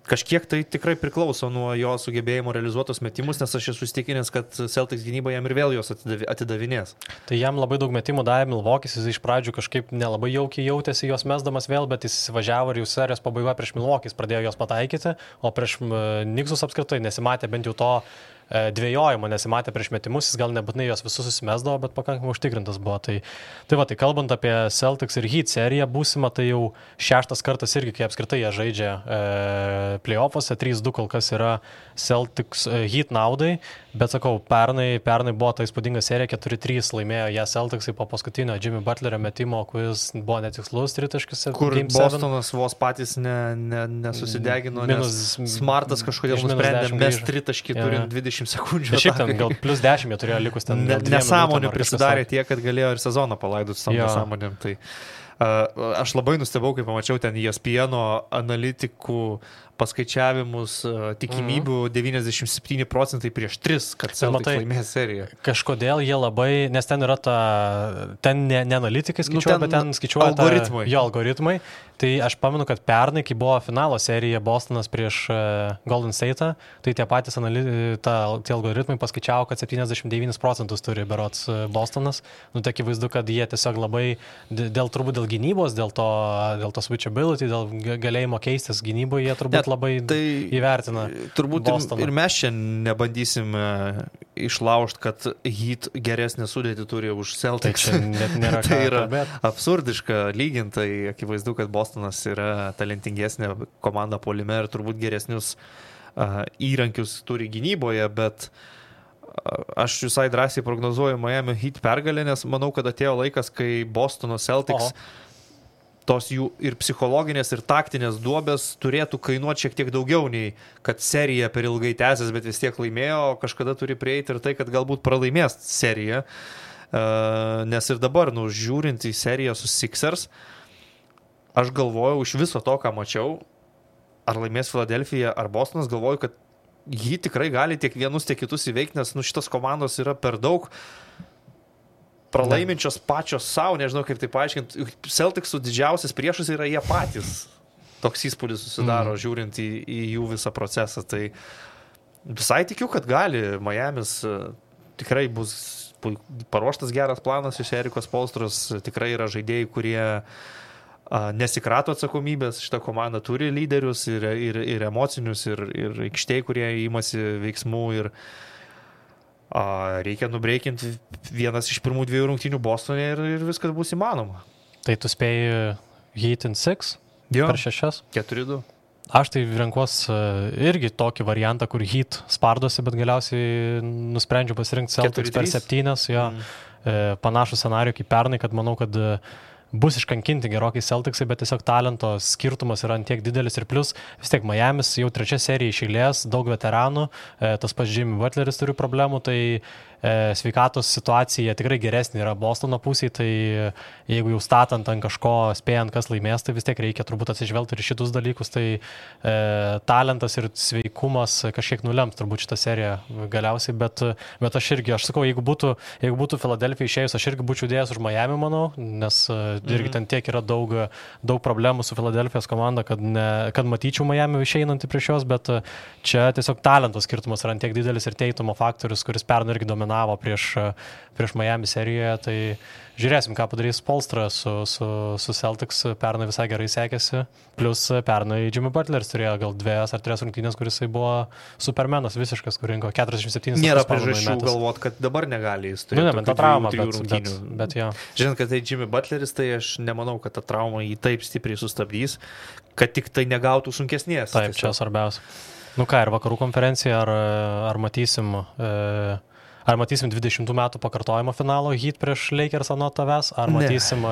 kažkiek tai tikrai priklauso nuo jo sugebėjimo realizuotos metimus, nes aš esu įsitikinęs, kad Celtics gynyba jam ir vėl jos atidavinės. Tai jam labai daug metimų davė Milvokis, jis iš pradžių kažkaip nelabai jaukiai jautėsi jos mesdamas vėl, bet jis įsivažiavo ir jau serijos pabaigoje prieš Milvokis pradėjo jos pataikyti, o prieš Knicksus apskritai nesimatė bent jau to dvejojimo, nesimatė prieš metimus, jis gal nebūtinai jos visus susimesdavo, bet pakankamai užtikrintas buvo. Tai kalbant apie Celtics ir Heat seriją būsimą, tai jau 6 kartas irgi, kai apskritai jie žaidžia playoffuose, 3-2 kol kas yra Celtics Heat naudai, bet sakau, pernai buvo ta įspūdinga serija, 4-3 laimėjo ją Celticsai po paskutinio Jimmy Butlerio metimo, kuris buvo netikslus tritaškis. Kur Bostonas vos patys nesusidegino, nes Smartas kažkodėl nusprendė mes tritaškį turint 20 sekundžių. Šiaip ten gal plus 10 jie turėjo likus ten. Nesąmonė prisidarė tiek, kad galėjo ir sezoną palaidus savo nesąmonėm. Tai aš labai nustebau, kai pamačiau ten ESPN analitikų paskaičiavimus, tikimybių 97% prieš 3, kad Celtics laimės seriją. Kažkodėl jie labai, nes ten yra ten ne analitikai skaičiuoja, bet ten skaičiuoja algoritmai. Tai aš pamenu, kad pernai, kai buvo finalo serija Bostonas prieš Golden State'ą, tai tie patys tie algoritmai paskaičiavo, kad 79% turi berods Bostonas. Tai akivaizdu, kad jie tiesiog labai, turbūt dėl gynybos, dėl to switchability, dėl galėjimo keistis gynyboje, jie turbūt labai įvertina. Turbūt Bostoną. Ir mes čia nebandysim išlaužti, kad Heat geresnę sudėtį turi už Celtics. Tai net nėra tai yra absurdiška lygintai, akivaizdu, kad Bostonas yra talentingesnė komanda puolime ir turbūt geresnius įrankius turi gynyboje, bet aš visai drąsiai prognozuoju Miami Heat pergalę, nes manau, kad atėjo laikas, kai Bostono Celtics tos jų ir psichologinės, ir taktinės duobės turėtų kainuoti šiek tiek daugiau nei kad serija per ilgai tęsės, bet vis tiek laimėjo, kažkada turi prieiti ir tai, kad galbūt pralaimės seriją. Nes ir dabar, žiūrint į seriją su Sixers, aš galvojau iš viso to, ką mačiau, ar laimės Philadelphia ar Bostonas, galvoju, kad jį tikrai gali tiek vienus, tiek kitus įveikti, nes šitos komandos yra per daug pralaiminčios pačios savo, nežinau kaip tai paaiškinti. Celticsų didžiausias priešas yra jie patys. Toks įspūdis susidaro, žiūrint į jų visą procesą. Tai visai tikiu, kad gali. Miamis tikrai bus paruoštas geras planas iš Erikos Spoelstros. Tikrai yra žaidėjai, kurie nesikrato atsakomybės. Šitą komandą turi lyderius ir emocinius, ir aikštėj, kurie įmasi veiksmų. Ir reikia nubreikinti vienas iš pirmų 2 rungtynių Bostone ir viskas bus įmanoma. Tai tu spėjai Heat in 6 per 6? 4-2. Aš tai renkuos irgi tokį variantą, kur Heat spardosi, bet galiausiai nusprendžiu pasirinkti Celtics per 7. Jo. Panašų scenarijų kaip pernai, kad manau, kad bus iškankinti gerokai Celticsai, bet tiesiog talento skirtumas yra ant tiek didelis ir plus vis tiek Miamis jau 3 serija iš eilės, daug veteranų, tas pats Jimmy Butleris turi problemų, tai sveikatos situacija tikrai geresnė yra Bostono pusėje, tai jeigu jau statant ant kažko, spėjant kas laimės, tai vis tiek reikia turbūt atsižvelgti ir šitus dalykus, tai talentas ir sveikumas kažkiek nulems turbūt šitą seriją galiausiai, bet aš sakau, jeigu būtų Philadelphia išėjus, aš irgi būčiau dėjęs už Miami, manau, nes irgi ten tiek yra daug problemų su Philadelphia's komanda, kad matyčiau Miami išeinantį prieš juos, bet čia tiesiog talentos skirtumas yra ant tiek didelis ir Teitumo faktorius, kuris pernai irgi dominavo prieš Miami serijoje, tai žiūrėsim, ką padarys Spoelstra su Celtics, pernai visai gerai sekėsi, plus pernai Jimmy Butleris turėjo gal 2 ar 3 rungtynės, kuris buvo supermenas visiškas, kur rinko 47. Nėra priežasčių galvot, kad dabar negali jis turėti. Ta trauma, bet jo. Žinant, kad tai Jimmy Butleris, tai aš nemanau, kad ta trauma jį taip stipriai sustabdys, kad tik tai negautų sunkesnės. Taip, čia svarbiausia. Ir vakarų konferencija, ar matysim 20 metų pakartojimo finalo Heat prieš Lakers nuo tavęs, ar matysim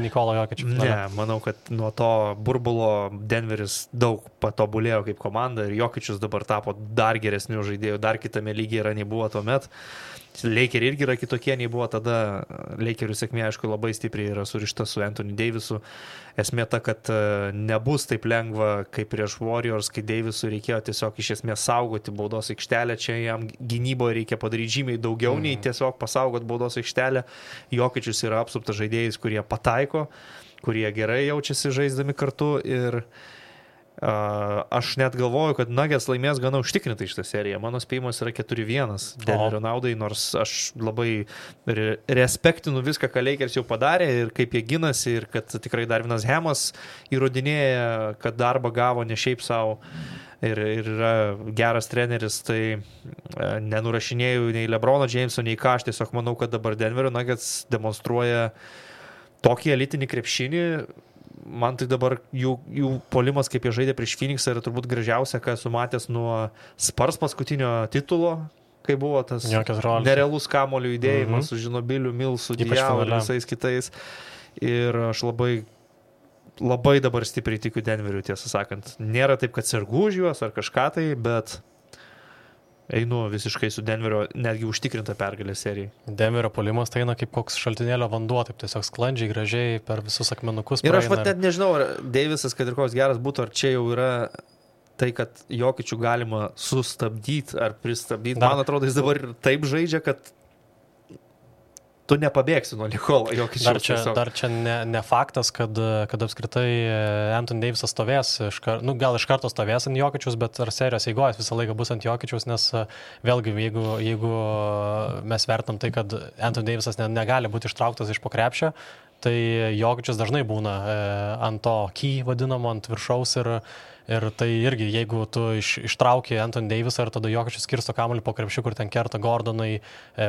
Nikola Jokičių finalą? Ne, manau, kad nuo to burbulo Denveris daug patobulėjo kaip komanda ir Jokičius dabar tapo dar geresnių žaidėjų, dar kitame lygyje yra nei buvo tuomet. Lakeriai irgi yra kitokie nei buvo tada. Lakerių sėkmė, aišku, labai stipriai yra surišta su Anthony Davisu. Esmė ta, kad nebus taip lengva kaip prieš Warriors, kai Davisui reikėjo tiesiog iš esmės saugoti baudos aikštelę. Čia jam gynyboje reikia padaryti žymiai daugiau nei tiesiog pasaugot baudos aikštelę. Jokičius yra apsuptas žaidėjais, kurie pataiko, kurie gerai jaučiasi žaisdami kartu ir aš net galvoju, kad Nuggets laimės gana užtikrintai šitą seriją. Mano spėjimas yra 4-1 Denverio naudai, nors aš labai respektinu viską, ką Lakers jau padarė ir kaip jie ginasi ir kad tikrai Darvinas Hamas įrodinėja, kad darbą gavo ne šiaip savo ir yra geras treneris, tai nenurašinėjau nei LeBrono Jameso, nei ką. Aš tiesiog manau, kad dabar Denverio Nuggets demonstruoja tokį elitinį krepšinį. Man tai dabar jų puolimas, kaip jie žaidė prieš Phoenixą, yra turbūt gražiausia, ką esu matęs nuo Spurs paskutinio titulo, kai buvo tas nerealus kamuolių judėjimas su Žinobiliu, Milsu, Diaw ir visais kitais. Ir aš labai dabar stipriai tikiu Denveriu, tiesą sakant. Nėra taip, kad sergu už juos ar kažką tai, bet einu visiškai su Denverio netgi užtikrinta pergalė serijai. Denverio puolimas tai eina kaip koks šaltinėlio vanduo, taip tiesiog sklandžiai, gražiai per visus akmenukus. Ir aš net nežinau, ar Davisas, kad ir koks geras būtų, ar čia jau yra tai, kad Jokičių galima sustabdyti ar pristabdyti. Man atrodo, jis dabar taip žaidžia, kad tu nepabėgsi nuo Nikola Jokičiaus. Dar čia ne faktas, kad apskritai Anthony Davisas stovės, gal iš karto stovės ant Jokičiaus, bet ar serijos eigojas visą laiką bus ant Jokičiaus, nes vėlgi, jeigu mes vertam tai, kad Anthony Davisas negali būti ištrauktas iš po krepšio, tai Jokičius dažnai būna ant to key vadinamo, ant viršaus ir tai irgi, jeigu tu ištrauki Anthony Davisą ir tada Jokičius skirsto kamuolį po krepšiu, kur ten kerta Gordonai,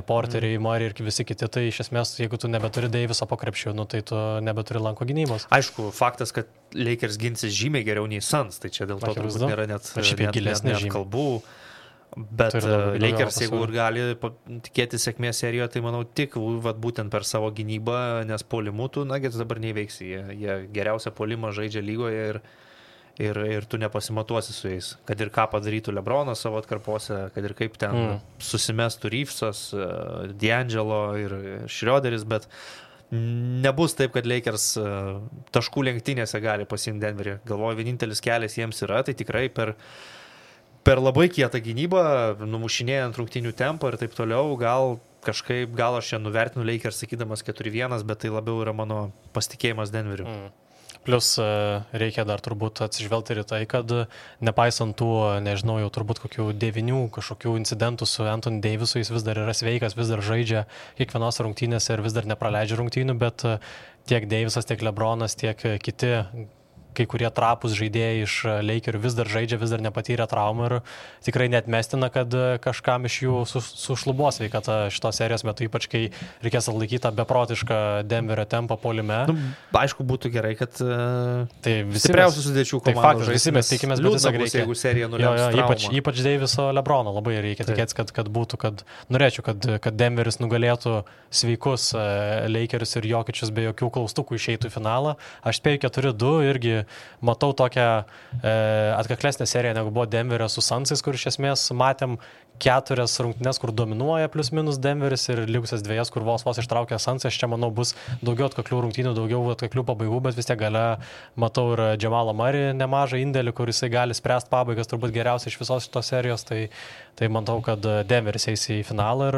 Porteriai, Murray ir visi kiti, tai iš esmės, jeigu tu nebeturi Daviso po krepšiu, tai tu nebeturi lanko gynybos. Aišku, faktas, kad Lakers ginsis žymiai geriau nei Suns, tai čia dėl to turbūt nėra net kalbų. Bet Turi daugiau Lakers, jeigu pasiūlymų. ir gali tikėti sėkmės serijoje, tai manau tik būtent per savo gynybą, nes puolimų tu Nuggets dabar neįveiksi. Jie geriausią puolimą žaidžia lygoje ir tu nepasimatuosi su jais. Kad ir ką padarytų LeBronas savo atkarpose, kad ir kaip ten susimestų Reevesas, D'Angelo ir Schroederis, bet nebus taip, kad Lakers taškų lenktynėse gali pasiimti Denverį. Galvoju, vienintelis kelias jiems yra, tai tikrai per labai kietą gynybą, numušinėjant rungtynių tempą ir taip toliau, gal aš čia nuvertinu Lakers sakydamas 4-1, bet tai labiau yra mano pasitikėjimas Denveriu. Plus reikia dar turbūt atsižvelgti ir tai, kad nepaisant tų, nežinau, jau turbūt kokių 9 kažkokių incidentų su Anthony Davisu, jis vis dar yra sveikas, vis dar žaidžia kiekvienos rungtynėse ir vis dar nepraleidžia rungtynių, bet tiek Davisas, tiek LeBronas, tiek kiti kai kurie trapus žaidėjai iš Lakerių vis dar žaidžia, vis dar nepatyrė traumų ir tikrai neatmestina, kad kažkam iš jų sušlubuos sveikata šitos serijos metu, ypač kai reikės atlaikyti tą beprotišką Denverio tempą puolime. Aišku, būtų gerai, kad tai stipriausių sudėčių komandų. Tai faktas, visi mes tikimės, bet tiesiog reikia. Jeigu serija nulems traumą. Ypač Daviso LeBrono labai reikia tikėtis, kad norėčiau, kad Denveris nugalėtų sveikus Lakerius ir Jokičius be jokių klaustukų išeitų į finalą. Aš spėju 4-2 irgi matau tokią atkaklesnę seriją, negu buvo Denverio su Sunsais, kur iš esmės matėm 4 rungtynes, kur dominuoja plius minus Denveris ir likusias 2, kur vos ištraukė Sunsai. Aš čia manau bus daugiau atkaklių rungtynių, daugiau atkaklių pabaigų, bet vis tiek gale matau ir Jamalą Murray nemažą indėlį, kur jisai gali spręsti pabaigas turbūt geriausiai iš visos šitos serijos. Tai matau, kad Denveris eis į finalą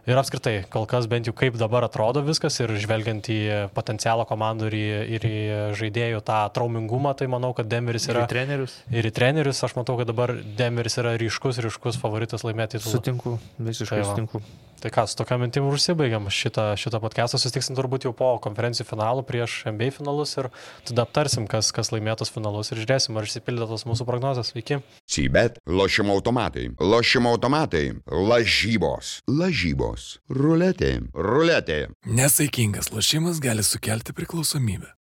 ir apskritai, kol kas bent jau kaip dabar atrodo viskas ir žvelgiant į potencialą komandų ir į žaidėjų tą traumingumą, tai manau, kad Denveris yra... Ir į trenerius. Aš matau, kad dabar Denveris yra ryškus favoritas laimėti titulą. Sutinku, visiškai sutinku. Tai ką, su tokia mintim užsibaigiam šitą podcastą, susitiksim turbūt jau po konferencijų finalų prieš NBA finalus ir tada aptarsim, kas laimėtos finalus ir žiūrėsim, ar išsipildytos mūsų prognozės. Iki. Cibet, lošimo automatai, lažybos, ruletė. Nesaikingas lošimas gali sukelti priklausomybę.